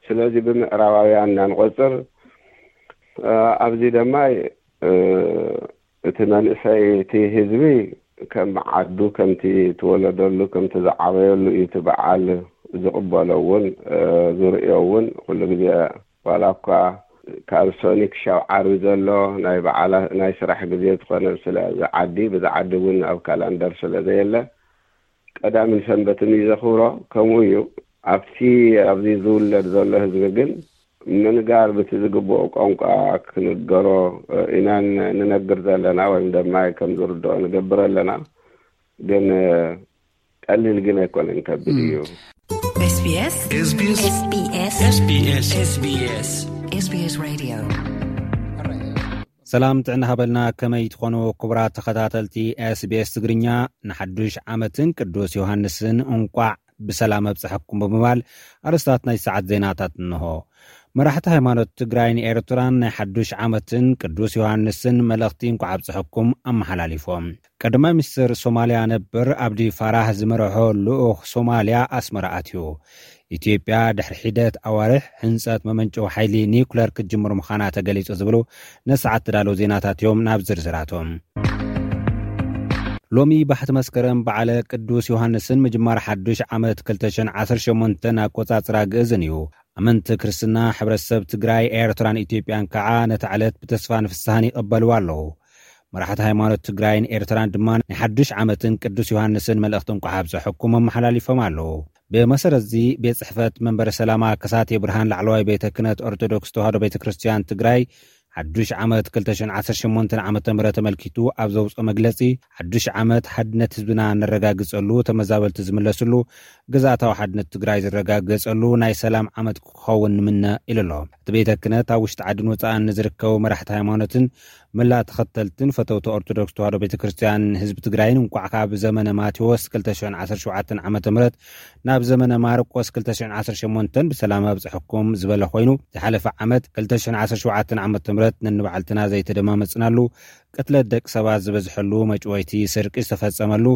ስለዚ ብምዕራባውያን እናንቆፅር ኣብዚ ድማ እቲ መንእሰይ እቲ ህዝቢ ከም ዓዱ ከምቲ ትወለደሉ ከምቲ ዝዓበየሉ እዩ እቲ በዓል ዝቕበሎ እውን ዝርእዮ እውን ኩሉ ግዜ ዋላ እኳ ካብ ሶኒ ክሻብ ዓርቢ ዘሎ ናይ በዓላ ናይ ስራሕ ግዜ ዝኾነ ስለዚ ዓዲ ብዚ ዓዲ እውን ኣብ ካላንደር ስለ ዘየለ ቀዳምን ሰንበትን እዩ ዘኽብሮ። ከምኡ እዩ ኣብቲ ኣብዚ ዝውለድ ዘሎ ህዝቢ ግን ምንጋር ብቲ ዝግብኦ ቋንቋ ክንገሮ ኢና ንነግር ዘለና ወይም ድማ ከም ዝርድኦ ንገብር ኣለና። ግን ቀሊል ግን ኣይኮነን፣ ከቢድ እዩ። SBS SBS SBS SBS SBS Radio። ሰላም ጥዕና ሃበልና። ከመይ ትኾኑ ክቡራት ተኸታተልቲ SBS ትግርኛ? ንሓዱሽ ዓመትን ቅዱስ ዮሃንስን እንቋዕ ብሰላም ኣብጽሐኩም ብምባል ኣርእስታት ናይ ሰዓት ዜናታት እንሆ። መራሕቲ ሃይማኖት ትግራይን ኤርትራን ናይ ሓዱሽ ዓመትን ቅዱስ ዮሃንስን መልእኽቲ እንቋዕ ኣብጽሐኩም ኣመሓላሊፎም። ቀዳማይ ሚኒስትር ሶማልያ ነበር ኣብዲ ፋራህ ዝመርሖ ልኡኽ ሶማልያ ኣስመራ ኣትዩ። ኢትዮጵያ ድሕሪ ሒደት ኣዋርሕ ህንጸት መመንጨዊ ሓይሊ ኒውክለር ክትጅምር ምዃና ተገሊጹ ዝብሉ ነሰዓት ተዳለዉ ዜናታት እዮም። ናብ ዝርዝራቶም። ሎሚ ባሕቲ መስከረም በዓለ ቅዱስ ዮሃንስን ምጅማር ሓዱሽ ዓመት ክልተ ሽሕን ዓሰርተ ሸሞንተን ኣቆጻጽራ ግእዝን እዩ። ኣመንቲ ክርስትና ሕብረተሰብ ትግራይ፣ ኤርትራን ኢትዮጵያን ከዓ ነታ ዕለት ብተስፋን ፍስሃን ይቐበልዋ ኣለዉ። መራሕቲ ሃይማኖት ትግራይን ኤርትራን ድማ ናይ ሓዱሽ ዓመትን ቅዱስ ዮሃንስን መልእኽቲ እንቋዕ ኣብፀሐኩም ኣመሓላሊፎም ኣለዉ። ብመሰረት እዚ ቤት ጽሕፈት መንበረ ሰላማ ከሳቴ ብርሃን ላዕለዋይ ቤተ ክህነት ኦርቶዶክስ ተዋህዶ ቤተ ክርስቲያን ትግራይ ሓዱሽ ዓመት ክልተ ሽሕን ዓሰርተ ሸሞንተን ዓመተ ምህረት ተመልኪቱ ኣብ ዘውፅኦ መግለፂ፣ ሓዱሽ ዓመት ሓድነት ህዝብና ነረጋግፀሉ፣ ተመዛበልቲ ዝምለስሉ፣ ግዝኣታዊ ሓድነት ትግራይ ዝረጋገፀሉ ናይ ሰላም ዓመት ክኸውን ንምነ ኢሉ ኣሎ። እቲ ቤተ ክህነት ኣብ ውሽጢ ዓድን ወፃእን ንዝርከቡ መራሕቲ ሃይማኖትን መላእ ተኸተልትን ፈተውቲ ኦርቶዶክስ ተዋህዶ ቤተ ክርስቲያን ህዝቢ ትግራይን እንኳዕ ካብ ዘመነ ማቴዎስ ክልተ ሽሕን ዓሰርተ ሸውዓተን ዓመተ ምህረት ናብ ዘመነ ማርቆስ ክልተ ሽሕን ዓሰርተ ሸሞንተን ብሰላም ኣብፅሐኩም ዝበለ ኮይኑ፣ ዝሓለፈ ዓመት ክልተ ሽሕን ዓሰርተ ሸውዓተን ዓመተ ምህረት ነንባዕልትና ዘይተደማመፅናሉ፣ ቅትለት ደቂ ሰባት ዝበዝሐሉ፣ መጭወይቲ፣ ስርቂ ዝተፈፀመሉ፣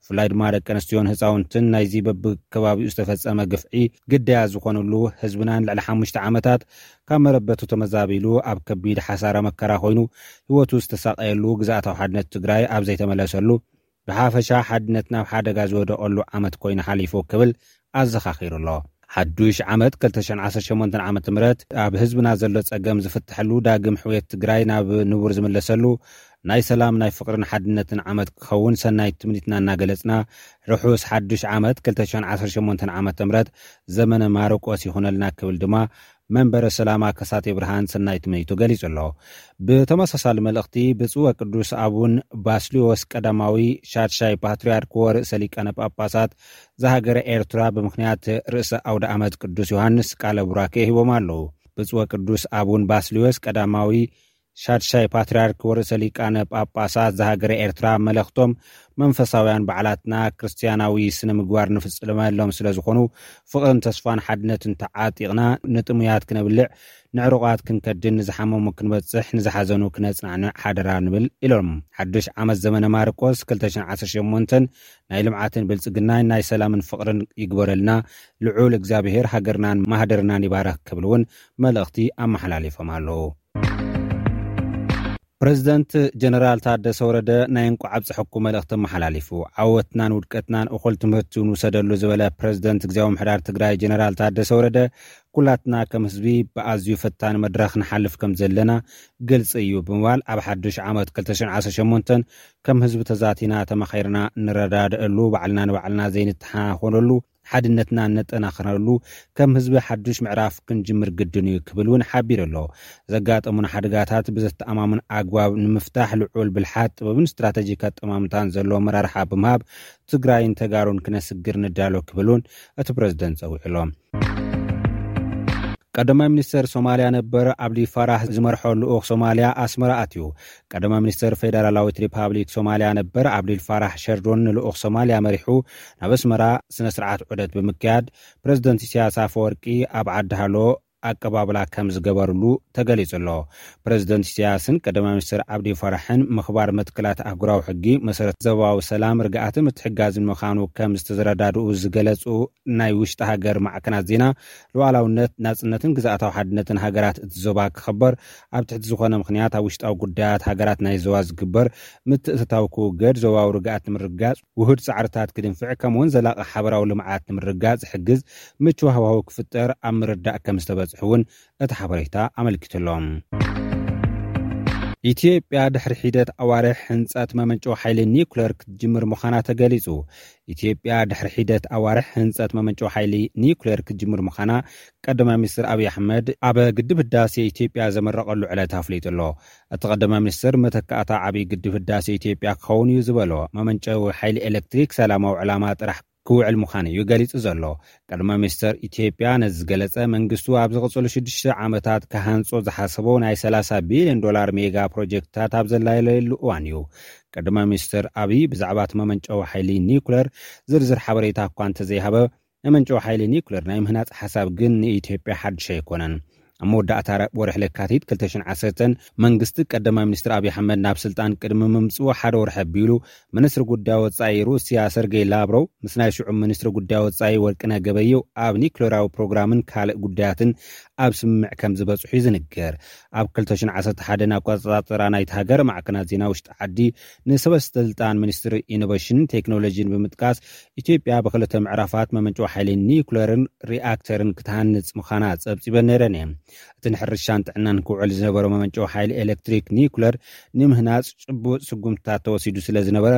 ብፍላይ ድማ ደቂ ኣንስትዮን ህፃውንትን ናይዚ በብከባቢኡ ዝተፈፀመ ግፍዒ ግዳያት ዝኾኑሉ፣ ህዝብናን ልዕሊ ሓሙሽተ ዓመታት ካብ መረበቱ ተመዛቢሉ ኣብ ከቢድ ሓሳረ መከራ ኮይኑ ህይወቱ ዝተሳቀየሉ፣ ግዝኣታዊ ሓድነት ትግራይ ኣብ ዘይተመለሰሉ፣ ብሓፈሻ ሓድነት ናብ ሓደጋ ዝወደቐሉ ዓመት ኮይኑ ሓሊፉ ክብል ኣዘኻኺሩ ኣሎ። ሓዱሽ ዓመት ክልተ ሽሕን ዓሰርተ ሸሞንተን ዓመተ ምህረት ኣብ ህዝብና ዘሎ ጸገም ዝፍትሐሉ፣ ዳግም ሕውየት ትግራይ ናብ ንቡር ዝምለሰሉ፣ ናይ ሰላም፣ ናይ ፍቕርን ሓድነትን ዓመት ክኸውን ሰናይ ትምኒትና እናገለጽና፣ ርሑስ ሓዱሽ ዓመት ክልተ ሽሕን ዓሰርተ ሸሞንተን ዓመተ ምህረት ዘመነ ማርቆስ ይኹነልና ክብል ድማ መንበረ ሰላማ ከሳቴ ብርሃን ሰናይ ትምኒቱ ገሊጹ ኣሎ። ብተመሳሳሊ መልእኽቲ፣ ብፁዕ ወቅዱስ ኣቡን ባስልዮስ ቀዳማዊ ሻድሻይ ፓትርያርክ ወርእሰ ሊቃነ ጳጳሳት ዘሃገረ ኤርትራ ብምኽንያት ርእሰ ኣውደ ዓመት ቅዱስ ዮሃንስ ቃለ ቡራኬ ሂቦም ኣለዉ። ብፁዕ ወቅዱስ ኣቡን ባስልዮስ ቀዳማዊ ሻድሻይ ፓትርያርክ ወርእሰ ሊቃነ ጳጳሳት ዘሃገረ ኤርትራ መልእኽቶም፣ መንፈሳውያን በዓላትና ክርስትያናዊ ስነ ምግባር ንፍጽመሎም ስለ ዝኾኑ፣ ፍቕርን ተስፋን ሓድነትን ተዓጢቕና፣ ንጥሙያት ክነብልዕ፣ ንዕሩቓት ክንከድን፣ ንዝሓመሙ ክንበጽሕ፣ ንዝሓዘኑ ክነጽናንዕ ሓደራ ንብል ኢሎም። ሓድሽ ዓመት ዘመነ ማርቆስ ክልተ ሽሕን ዓሰርተ ሸሞንተን ናይ ልምዓትን ብልጽግናን ናይ ሰላምን ፍቕርን ይግበረልና፣ ልዑል እግዚኣብሔር ሃገርናን ማህደርናን ይባረኽ ክብል እውን መልእኽቲ ኣመሓላሊፎም ኣለዉ። ፕረዚደንት ጀነራል ታደሰ ወረደ ናይ እንቋዕ ኣብፀሐኩም መልእኽቲ ኣመሓላሊፉ። ዓወትናን ውድቀትናን እኹል ትምህርቲ ንውሰደሉ ዝበለ ፕረዚደንት ግዝያዊ ምሕዳር ትግራይ ጀነራል ታደሰ ወረደ፣ ኩላትና ከም ህዝቢ ብኣዝዩ ፈታኒ መድረኽ ንሓልፍ ከም ዘለና ግልፂ እዩ ብምባል፣ ኣብ ሓዱሽ ዓመት ክልተ ሽሕን ዓሰርተ ሸሞንተን ከም ህዝቢ ተዛቲና ተመኻይርና እንረዳድአሉ፣ ባዕልና ንባዕልና ዘይንተሓኾነሉ፣ ሓድነትና እነጠናኽረሉ፣ ከም ህዝቢ ሓዱሽ ምዕራፍ ክንጅምር ግድን እዩ ክብል እውን ሓቢሩ ኣሎ። ዘጋጠሙና ሓደጋታት ብዘተኣማምን ኣግባብ ንምፍታሕ ልዑል ብልሓት፣ ጥበብን ስትራተጂክ ኣጠማምታን ዘለዎ ኣመራርሓ ብምሃብ ትግራይን ተጋሩን ክነስግር ንዳሎ ክብል እውን እቲ ፕረዚደንት ጸዊዑ ኣሎ። ቀዳማይ ሚኒስተር ሶማልያ ነበር ኣብዲ ፋራህ ዝመርሖ ልኡኽ ሶማልያ ኣስመራ ኣትዩ። ቀዳማይ ሚኒስተር ፌደራላዊት ሪፓብሊክ ሶማልያ ነበር ኣብዲል ፋራህ ሸርዶን ንልኡኽ ሶማልያ መሪሑ ናብ ኣስመራ ስነ ስርዓት ዑደት ብምክያድ፣ ፕረዚደንት ኢሳያስ ኣፈወርቂ ኣብ ዓዲ ሃሎ ኣቀባብላ ከም ዝገበርሉ ተገሊጹ ኣሎ። ፕረዚደንት ኢሳያስን ቀዳማይ ሚኒስተር ኣብዲ ፋራሕን ምኽባር መትከላት ኣህጉራዊ ሕጊ፣ መሰረት ዞባዊ ሰላም፣ ርግኣትን ምትሕጋዝን ምዃኑ ከም ዝተዘረዳድኡ ዝገለጹ ናይ ውሽጢ ሃገር ማዕከናት ዜና፣ ሉዓላውነት፣ ናጽነትን ግዝኣታዊ ሓድነትን ሃገራት እቲ ዞባ ክኽበር፣ ኣብ ትሕቲ ዝኾነ ምኽንያት ኣብ ውሽጣዊ ጉዳያት ሃገራት ናይ ዞባ ዝግበር ምትእትታው ክውገድ፣ ዞባዊ ርግኣት ንምርጋጽ ውሁድ ጻዕርታት ክድንፍዕ፣ ከምኡውን ዘላቒ ሓበራዊ ልምዓት ንምርጋጽ ዝሕግዝ ምቹው ሃዋህው ክፍጠር ኣብ ምርዳእ ከም ዝተበጽሑ እውን እቲ ሓበሬታ ኣመልኪቱ ኣሎ። ኢትዮጵያ ድሕሪ ሒደት ኣዋርሕ ህንጸት መመንጨዊ ሓይሊ ኒውክለር ክትጅምር ምዃና ተገሊጹ። ኢትዮጵያ ድሕሪ ሒደት ኣዋርሕ ህንጸት መመንጨዊ ሓይሊ ኒውክለር ክትጅምር ምዃና ቀዳማይ ሚኒስትር ኣብይ ኣሕመድ ኣብ ግድብ ህዳሴ ኢትዮጵያ ዘመረቐሉ ዕለት ኣፍሊጡ ኣሎ። እቲ ቀዳማይ ሚኒስትር፣ መተካእታ ዓብዪ ግድብ ህዳሴ ኢትዮጵያ ክኸውን እዩ ዝበሎ መመንጨዊ ሓይሊ ኤሌክትሪክ ሰላማዊ ዕላማ ጥራሕ ክውዕል ምዃኑ እዩ ገሊጹ ዘሎ። ቀዳማይ ሚኒስተር ኢትዮጵያ ነዚ ዝገለጸ፣ መንግስቱ ኣብ ዝቕጽሉ ሽዱሽተ ዓመታት ክሃንጾ ዝሓሰቦ ናይ ሰላሳ ቢልዮን ዶላር ሜጋ ፕሮጀክትታት ኣብ ዘላለየሉ እዋን እዩ። ቀዳማይ ሚኒስተር ኣብይ ብዛዕባ እቲ መመንጨዊ ሓይሊ ኒውክለር ዝርዝር ሓበሬታ እኳ እንተዘይሃበ፣ መመንጨዊ ሓይሊ ኒውክለር ናይ ምህናጽ ሓሳብ ግን ንኢትዮጵያ ሓድሽ ኣይኮነን። ኣብ መወዳእታ ወርሒ ለካቲት ክልተ ሽሕን ዓሰርተን መንግስቲ ቀዳማይ ሚኒስትር ኣብይ ኣሕመድ ናብ ስልጣን ቅድሚ ምምጽኡ ሓደ ወርሒ ኣቢሉ፣ ሚኒስትሪ ጉዳይ ወጻኢ ሩስያ ሰርጌይ ላቭሮቭ ምስ ናይ ሽዑ ሚኒስትሪ ጉዳይ ወጻኢ ወርቅነህ ገበየሁ ኣብ ኒውክሌራዊ ፕሮግራምን ካልእ ጉዳያትን ኣብ ስምምዕ ከም ዝበጽሑ ይዝንገር። ኣብ ክልተ ሽሕን ዓሰርተ ሓደን ኣቆጻጽራ ናይቲ ሃገር ማዕከናት ዜና ውሽጢ ዓዲ ንሰበ ስልጣን ሚኒስትሪ ኢኖቬሽንን ቴክኖሎጂን ብምጥቃስ፣ ኢትዮጵያ ብክልተ ምዕራፋት መመንጨዊ ሓይሊ ኒውክሌርን ሪኣክተርን ክትሃንጽ ምዃና ጸብጺበን ነይረን እየን። እቲ ንሕርሻን ጥዕናን ክውዕል ዝነበረ መመንጨዊ ሓይሊ ኤሌክትሪክ ኒውክለር ንምህናጽ ጭቡጥ ስጉምትታት ተወሲዱ ስለ ዝነበረ፣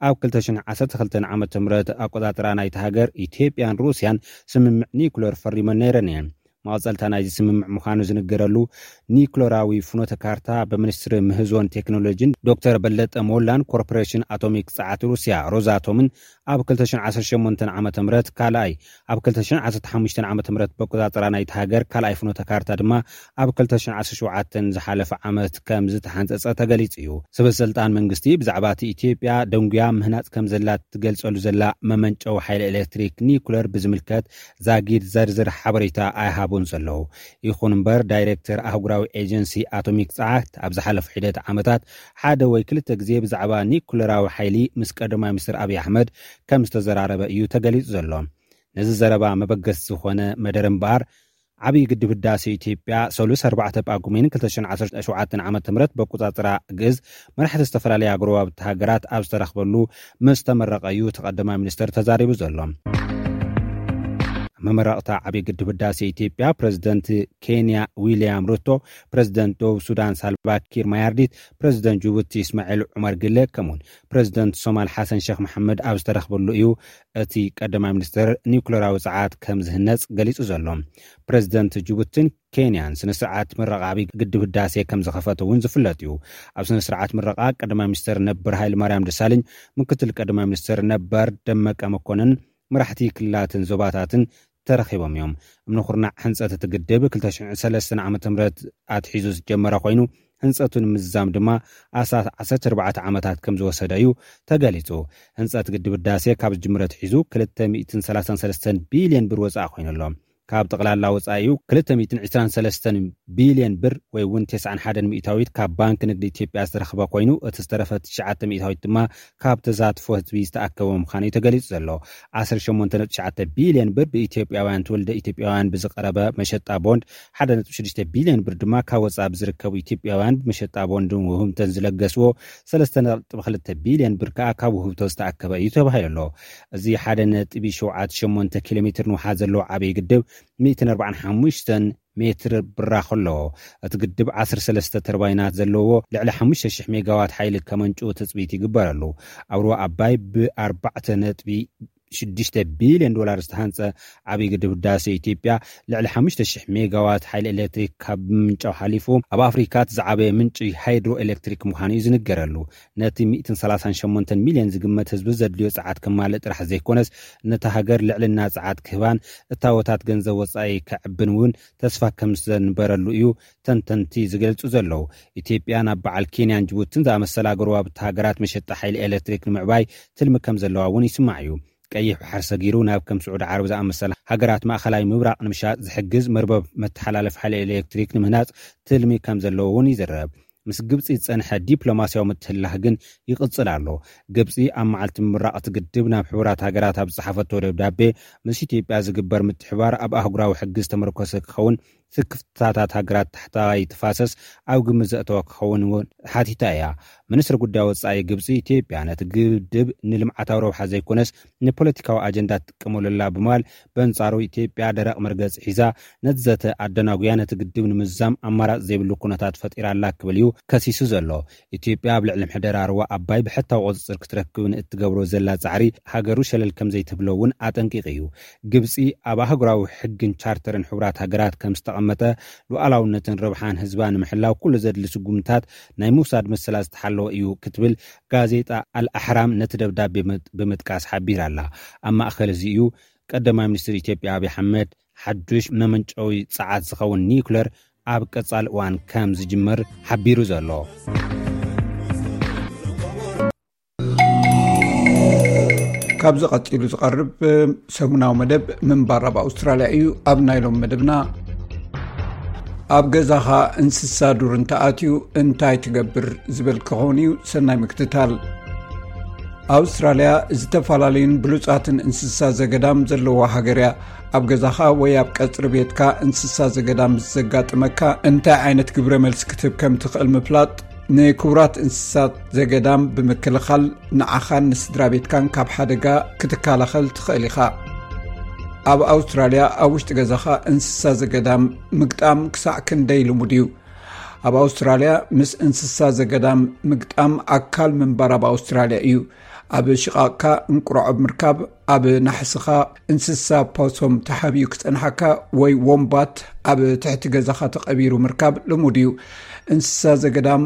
ኣብ ክልተ ሽሕን ዓሰርተ ክልተን ዓመተ ምህረት ኣቆጻጽራ ናይቲ ሃገር፣ ኢትዮጵያን ሩስያን ስምምዕ ኒውክለር ፈሪመን ነይረን እየን። መቐጸልታ ናይዚ ስምምዕ ምዃኑ ዝንገረሉ ኒኩለራዊ ፍኖተ ካርታ ብሚኒስትሪ ምህዞን ቴክኖሎጂን ዶክተር በለጠ ሞላን ኮርፖሬሽን ኣቶሚክ ጸዓት ሩስያ ሮዛቶምን ኣብ ክልተ ሽሕን ዓሰርተ ሸሞንተን ዓመተ ምህረት ካልኣይ፣ ኣብ ክልተ ሽሕን ዓሰርተ ሓሙሽተን ዓመተ ምህረት በቆጻጽራ ናይቲ ሃገር ካልኣይ ፍኖተ ካርታ ድማ ኣብ ክልተ ሽሕን ዓሰርተ ሸውዓተን ዝሓለፈ ዓመት ከም ዝተሓንጸጸ ተገሊጹ እዩ። ሰበ ስልጣን መንግስቲ ብዛዕባ እቲ ኢትዮጵያ ደንጉያ ምህናጽ ከም ዘላ ትገልጸሉ ዘላ መመንጨዊ ሓይሊ ኤሌክትሪክ ኒኩለር ብዝምልከት ዛጊድ ዘርዝር ሓበሬታ ኣይሃቡን ዘለዉ። ይኹን እምበር፣ ዳይሬክተር ኣህጉራዊ ኤጀንሲ ኣቶሚክ ጸዓት ኣብ ዝሓለፉ ሒደት ዓመታት ሓደ ወይ ክልተ ግዜ ብዛዕባ ኒኩለራዊ ሓይሊ ምስ ቀዳማይ ሚኒስትር ኣብይ ኣሕመድ ከም ዝተዘራረበ እዩ ተገሊጹ ዘሎ። ነዚ ዘረባ መበገሲ ዝኾነ መደረ እምበኣር፣ ዓብዪ ግድብ ህዳሴ ኢትዮጵያ ሰሉስ ኣርባዕተ ጳጉሜን ክልተ ሽሕን ዓሰርተ ሸውዓተን ዓመተ ምህረት በቁጻጽራ ግእዝ መራሕቲ ዝተፈላለያ ጎረባብቲ ሃገራት ኣብ ዝተረኽበሉ ምስ ተመረቐ እዩ እቲ ቀዳማይ ሚኒስትር ተዛሪቡ ዘሎ። መመረቕታ ዓብዪ ግድብ ህዳሴ ኢትዮጵያ ፕሬዝደንት ኬንያ ዊልያም ሩቶ፣ ፕሬዝደንት ደቡብ ሱዳን ሳልቫ ኪር ማያርዲት፣ ፕሬዝደንት ጅቡቲ እስማዒል ዑመር ግለ ከምኡውን ፕሬዝደንት ሶማል ሓሰን ሼክ መሐመድ ኣብ ዝተረኽበሉ እዩ እቲ ቀዳማይ ሚኒስትር ኒኩለራዊ ጸዓት ከም ዝህነጽ ገሊጹ ዘሎ። ፕሬዝደንት ጅቡትን ኬንያን ስነ ስርዓት ምረቓ ዓብዪ ግድብ ህዳሴ ከም ዝኸፈተ እውን ዝፍለጥ እዩ። ኣብ ስነ ስርዓት ምረቓ ቀዳማይ ሚኒስትር ነበር ሃይለ ማርያም ደሳለኝ፣ ምክትል ቀዳማይ ሚኒስትር ነበር ደመቀ መኮንን፣ መራሕቲ ክልላትን ዞባታትን ተረኺቦም እዮም። እምኒ ኩርናዕ ህንጸት እቲ ግድብ ክልተ ሽሕን ሰለስተን ዓመተ ምህረት ኣትሒዙ ዝጀመረ ኮይኑ፣ ህንጸቱ ንምዝዛም ድማ ኣስታት ዓሰርተ ኣርባዕተ ዓመታት ከም ዝወሰደ እዩ ተገሊጹ። ህንጸት ግድብ ህዳሴ ካብ ዝጅምር ኣትሒዙ ክልተ ሚእትን ሰላሳን ሰለስተን ቢልዮን ብር ወጻኢ ኮይኑ ኣሎ። ካብ ጠቕላላ ወጻኢኡ ክልተ ሚእትን ዕስራን ሰለስተን ቢልዮን ብር ወይ እውን ተስዓን ሓደን ሚእታዊት ካብ ባንክ ንግዲ ኢትዮጵያ ዝተረኽበ ኮይኑ፣ እቲ ዝተረፈ ትሽዓተ ሚእታዊት ድማ ካብ ተሳትፎ ህዝቢ ዝተኣከበ ምዃኑ እዩ ተገሊጹ ዘሎ። ዓሰርተ ሸሞንተ ነጥቢ ትሽዓተ ቢልዮን ብር ብኢትዮጵያውያን ትውልደ ኢትዮጵያውያን ብዝቐረበ መሸጣ ቦንድ፣ ሓደ ነጥቢ ሽዱሽተ ቢልዮን ብር ድማ ካብ ወጻኢ ብዝርከቡ ኢትዮጵያውያን ብመሸጣ ቦንድን ውህብተን ዝለገስዎ፣ ሰለስተ ነጥቢ ክልተ ቢልዮን ብር ከኣ ካብ ውህብቶ ዝተኣከበ እዩ ተባሂሉ ኣሎ። እዚ ሓደ ነጥቢ ሸውዓተ ሸሞንተ ኪሎ ሜትር ንውሓት ዘለዎ ዓብዪ ግድብ ሚእትን ኣርባዓን ሓሙሽተን ሜትር ብራኽ ኣለዎ። እቲ ግድብ ዓሰርተ ሰለስተ ተርባይናት ዘለዎ፣ ልዕሊ ሓሙሽተ ሽሕ ሜጋዋት ሓይሊ ከመንጭው ትጽቢት ይግበረሉ። ኣብ ሩባ ኣባይ ብኣርባዕተ ነጥቢ ሽዱሽተ ቢልዮን ዶላር ዝተሃንጸ ዓብዪ ግድብ ህዳሴ ኢትዮጵያ ልዕሊ ሓሙሽተ ሽሕ ሜጋዋት ሓይሊ ኤሌክትሪክ ካብ ምምንጫው ሓሊፉ፣ ኣብ ኣፍሪካ እቲ ዝዓበየ ምንጪ ሃይድሮ ኤሌክትሪክ ምዃኑ እዩ ዝንገረሉ። ነቲ ሚእትን ሰላሳን ሸሞንተን ሚልዮን ዝግመት ህዝቢ ዘድልዮ ጸዓት ከማልእ ጥራሕ ዘይኮነስ፣ ነታ ሃገር ልዕልና ጸዓት ክህባን እታወታት ገንዘብ ወጻኢ ከዕብን እውን ተስፋ ከም ዘንበረሉ እዩ ተንተንቲ ዝገልጹ ዘለዉ። ኢትዮጵያ ናብ በዓል ኬንያን ጅቡትን ዝኣመሰላ ጎረባብቲ ሃገራት መሸጣ ሓይሊ ኤሌክትሪክ ንምዕባይ ትልሚ ከም ዘለዋ እውን ይስማዕ እዩ። ቀይሕ ባሕሪ ሰጊሩ ናብ ከም ስዑዲ ዓረብ ዝኣመሰላ ሃገራት ማእኸላይ ምብራቕ ንምሻጥ ዝሕግዝ መርበብ መተሓላለፊ ሓይሊ ኤሌክትሪክ ንምህናፅ ትልሚ ከም ዘለዎ እውን ይዝረብ። ምስ ግብፂ ዝፀንሐ ዲፕሎማስያዊ ምትህልላኽ ግን ይቕፅል ኣሎ። ግብፂ ኣብ መዓልቲ ምምራቕ እቲ ግድብ ናብ ሕቡራት ሃገራት ኣብ ዝፀሓፈቶ ደብዳቤ፣ ምስ ኢትዮጵያ ዝግበር ምትሕባር ኣብ ኣህጉራዊ ሕጊ ዝተመርኮሰ ክኸውን፣ ስክፍታታት ሃገራት ታሕተዋይ ተፋሰስ ኣብ ግምት ዘእተወ ክኸውን እውን ሓቲታ እያ። ሚኒስትሪ ጉዳይ ወጻኢ ግብጺ፣ ኢትዮጵያ ነቲ ግድብ ንልምዓታዊ ረብሓ ዘይኮነስ ንፖለቲካዊ ኣጀንዳ ትጥቀመሉ ኣላ ብምባል፣ በንጻሩ ኢትዮጵያ ደረቕ መርገጺ ሒዛ ነቲ ዘተ ኣደናጉያ፣ ነቲ ግድብ ንምዝዛም ኣማራጺ ዘይብሉ ኩነታት ፈጢራ ኣላ ክብል እዩ ከሲሱ ዘሎ። ኢትዮጵያ ኣብ ልዕሊ ምሕደራ ሩባ ኣባይ ብሕታዊ ቁጽጽር ክትረክብ ንእትገብሮ ዘላ ጻዕሪ ሃገሩ ሸለል ከም ዘይትብሎ እውን ኣጠንቂቑ እዩ። ግብጺ ኣብ ኣህጉራዊ ሕግን ቻርተርን ሕቡራት ሃገራት ከም ዝተቐመጠ ሉዓላውነትን ረብሓን ህዝባ ንምሕላው ኩሉ ዘድሊ ስጉምታት ናይ ምውሳድ መሰላ ዝተሓለወ እዩ ክትብል ጋዜጣ ኣልኣሕራም ነቲ ደብዳቤ ብምጥ-፣ ብምጥቃስ ሓቢራ ኣላ። ኣብ ማእከል እዚ እዩ ቀዳማይ ሚኒስትር ኢትዮጵያ ኣብይ ኣሕመድ ሓዱሽ መመንጨዊ ጸዓት ዝኸውን ኒውክለር ኣብ ቀጻሊ እዋን ከም ዝጅምር ሓቢሩ ዘሎ። ካብዚ ቀጺሉ ዝቐርብ ሰሙናዊ መደብ ምንባር ኣብ ኣውስትራልያ እዩ። ኣብ ናይ ሎም መደብና፣ ኣብ ገዛኻ እንስሳ ዱር እንተኣትዩ እንታይ ትገብር ዝብል ክኸውን እዩ። ሰናይ ምክትታል። ኣውስትራልያ ዝተፈላለዩን ብሉጻትን እንስሳ ዘገዳም ዘለዋ ሃገር እያ። ኣብ ገዛኻ ወይ ኣብ ቀጽሪ ቤትካ እንስሳ ዘገዳም ምስ ዘጋጥመካ እንታይ ዓይነት ግብረ መልሲ ክትህብ ከም ትኽእል ምፍላጥ፣ ንክቡራት እንስሳት ዘገዳም ብምክልኻል ንዓኻን ንስድራ ቤትካን ካብ ሓደጋ ክትከላኸል ትኽእል ኢኻ። ኣብ ኣውስትራልያ ኣብ ውሽጢ ገዛኻ እንስሳ ዘገዳም ምግጣም ክሳዕ ክንደይ ልሙድ እዩ? ኣብ ኣውስትራልያ ምስ እንስሳ ዘገዳም ምግጣም ኣካል ምንባር ኣብ ኣውስትራልያ እዩ። ኣብ ሽቓቕካ እንቁራዖብ ምርካብ፣ ኣብ ናሕስኻ እንስሳ ፖሶም ተሓቢኡ ክጸንሓካ ወይ ወምባት ኣብ ትሕቲ ገዛኻ ተቐቢሩ ምርካብ ልሙድ እዩ። እንስሳ ዘገዳም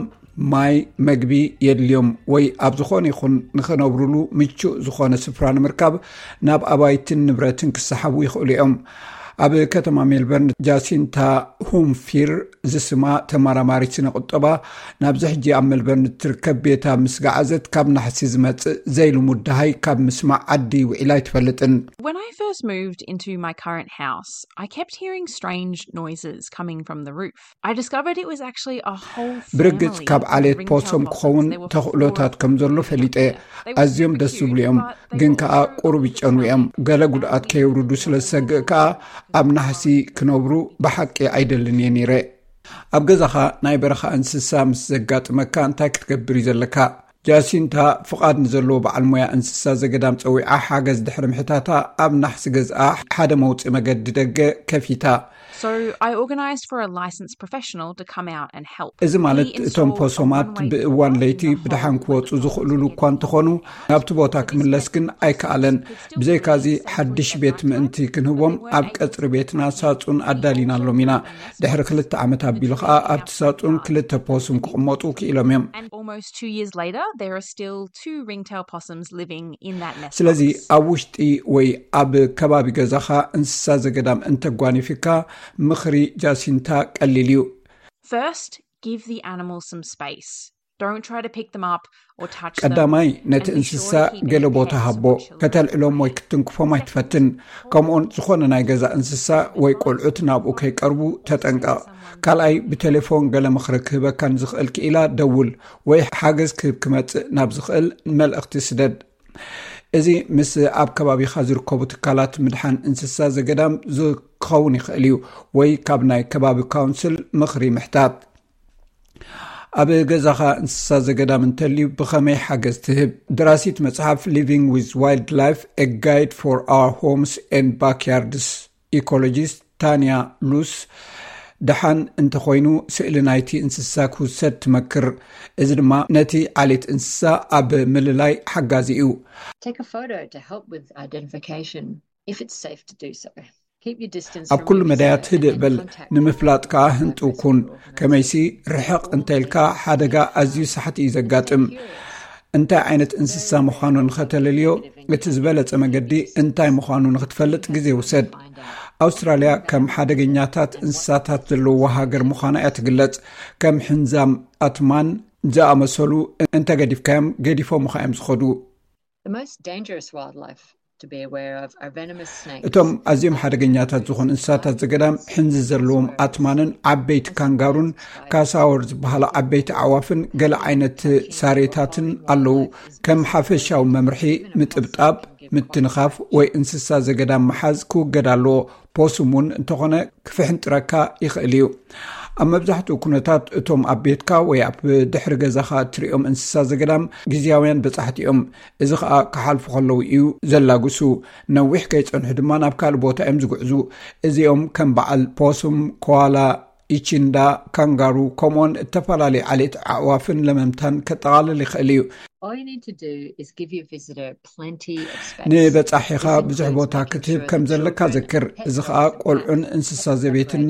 ማይ፣ መግቢ የድልዮም ወይ ኣብ ዝኾነ ይኹን ንኽነብሩሉ ምቹእ ዝኾነ ስፍራ ንምርካብ ናብ ኣባይትን ንብረትን ክሰሓቡ ይኽእሉ እዮም። ኣብ ከተማ ሜልበርን ጃሲንታ ሁምፊር ዝስማ ተመራማሪት ስነ ቁጠባ ናብዚ ሕጂ ኣብ ሜልበርን እትርከብ ቤታ ምስ ገዓዘት ካብ ናሕሲ ዝመጽእ ዘይልሙድ ደሃይ ካብ ምስማዕ ዓዲ ውዒላ ኣይትፈልጥን። When I first moved into my current house, I kept hearing strange noises coming from the roof. I discovered it was actually a whole ብርግጽ ካብ ዓሌት ፖሶም ክኸውን ተኽእሎታት ከም ዘሎ ፈሊጠ። ኣዝዮም ደስ ዝብሉ እዮም፣ ግን ከኣ ቁሩብ ይጨኑ እዮም። ገለ ጉድኣት ከየውርዱ ስለ ዝሰግእ ከኣ ኣብ ናሕሲ ክነብሩ ብሓቂ ኣይደልን እየ ነይረ። ኣብ ገዛኻ ናይ በረኻ እንስሳ ምስ ዘጋጥመካ እንታይ ክትገብር እዩ ዘለካ? ጃሲንታ ፍቓድ ንዘለዎ በዓል ሞያ እንስሳ ዘገዳም ጸዊዓ ሓገዝ ድሕሪ ምሕታታ ኣብ ናሕሲ ገዝኣ ሓደ መውጽኢ መገዲ ደገ ከፊታ። So I organised for a licensed professional to come out and help. እዚ ማለት እቶም ፖሶማት ብእዋን ለይቲ ብደሓን ክወጹ ዝኽእሉሉ እኳ እንተኾኑ ናብቲ ቦታ ክምለስ ግን ኣይከኣለን። ብዘይካዚ ሓድሽ ቤት ምእንቲ ክንህቦም ኣብ ቀጽሪ ቤትና ሳጹን ኣዳሊናሎም ኢና። ድሕሪ ክልተ ዓመት ኣቢሉ ኸኣ ኣብቲ ሳጹን ክልተ ፖሱም ክቕመጡ ክኢሎም እዮም። And almost two years later, there are still two ringtail possums living in that nest. ስለዚ ኣብ ውሽጢ ወይ ኣብ ከባቢ ገዛኻ እንስሳ ዘገዳም እንተጓኒፍካ ምኽሪ ጃሲንታ ቀሊል እዩ። First, give the animals some space. Don't try to pick them up or touch them. ቀዳማይ ነቲ እንስሳ ገለ ቦታ ሃቦ። ከተልዕሎም ወይ ክትንክፎም ኣይትፈትን። ከምኡውን ዝኾነ ናይ ገዛ እንስሳ ወይ ቆልዑት ናብኡ ከይቀርቡ ተጠንቀቕ። ካልኣይ ብቴሌፎን ገለ ምኽሪ ክህበካ ንዝኽእል ክኢላ ደውል ወይ ሓገዝ ክህብ ክመጽእ ናብ ዝኽእል መልእኽቲ ስደድ። እዚ ምስ ኣብ ከባቢኻ ዝርከቡ ትካላት ምድሓን እንስሳ ዘገዳም ዝኸውን ይኽእል እዩ፣ ወይ ካብ ናይ ከባቢ ካውንስል ምኽሪ ምሕታት። ኣብ ገዛኻ እንስሳ ዘገዳም እንተልዩ ብኸመይ ሓገዝ ትህብ? ደራሲት መጽሓፍ Living with Wildlife: A Guide for Our Homes and Backyards Ecologist ታንያ ሉስ ደሓን እንተኾይኑ ስእሊ ናይቲ እንስሳ ክውሰድ ትመክር። እዚ ድማ ነቲ ዓሌት እንስሳ ኣብ ምልላይ ሓጋዚ እዩ። Take a photo to help with identification if it's safe to do so. ኣብ ኩሉ መዳያት ህድእ በል፣ ንምፍላጥ ከኣ ህንጡው ኩን። ከመይሲ ርሕቕ እንተ ኢልካ ሓደጋ ኣዝዩ ሳሕቲ እዩ ዘጋጥም። እንታይ ዓይነት እንስሳ ምዃኑ ንኸተለልዮ እቲ ዝበለጸ መገዲ እንታይ ምዃኑ ንኽትፈልጥ ግዜ ውሰድ። ኣውስትራልያ ከም ሓደገኛታት እንስሳታት ዘለውዋ ሃገር ምዃና እያ ትግለጽ። ከም ሕንዛም ኣትማን ዝኣመሰሉ እንተገዲፍካዮም ገዲፎምኻ እዮም ዝኸዱ። The most dangerous wildlife to be aware of are venomous snakes. እቶም ኣዝዮም ሓደገኛታት ዝኾኑ እንስሳታት ዘገዳም ሕንዚ ዘለዎም ኣትማንን ዓበይቲ ካንጋሩን ካሳወር ዝበሃሉ ዓበይቲ ኣዕዋፍን ገለ ዓይነት ሳሬታትን ኣለዉ። ከም ሓፈሻዊ መምርሒ ምጥብጣብ፣ ምትንኻፍ ወይ እንስሳ ዘገዳም ምሓዝ ክውገድ ኣለዎ። ፖስም እውን እንተኾነ ክፍሕንጥረካ ይኽእል እዩ። ኣብ መብዛሕትኡ ኩነታት እቶም ኣብ ቤትካ ወይ ኣብ ድሕሪ ገዛኻ እትሪኦም እንስሳ ዘገዳም ግዝያውያን በጻሕቲ እዮም። እዚ ኸኣ ክሓልፉ ከለዉ እዩ ዘላግሱ። ነዊሕ ከይጸንሑ ድማ ናብ ካልእ ቦታ እዮም ዝጉዕዙ። እዚኦም ከም በዓል ፖስም፣ ኮዋላ፣ ኢቺንዳ፣ ካንጋሩ ከምኡውን እተፈላለዩ ዓሌት ኣዕዋፍን ለመምታን ከጠቓልል ይኽእል እዩ። All you need to do is give your visitor plenty of space. ንበጻሒኻ ብዙሕ ቦታ ክትህብ ከም ዘለካ ዘክር። እዚ ኸኣ ቆልዑን እንስሳ ዘቤትን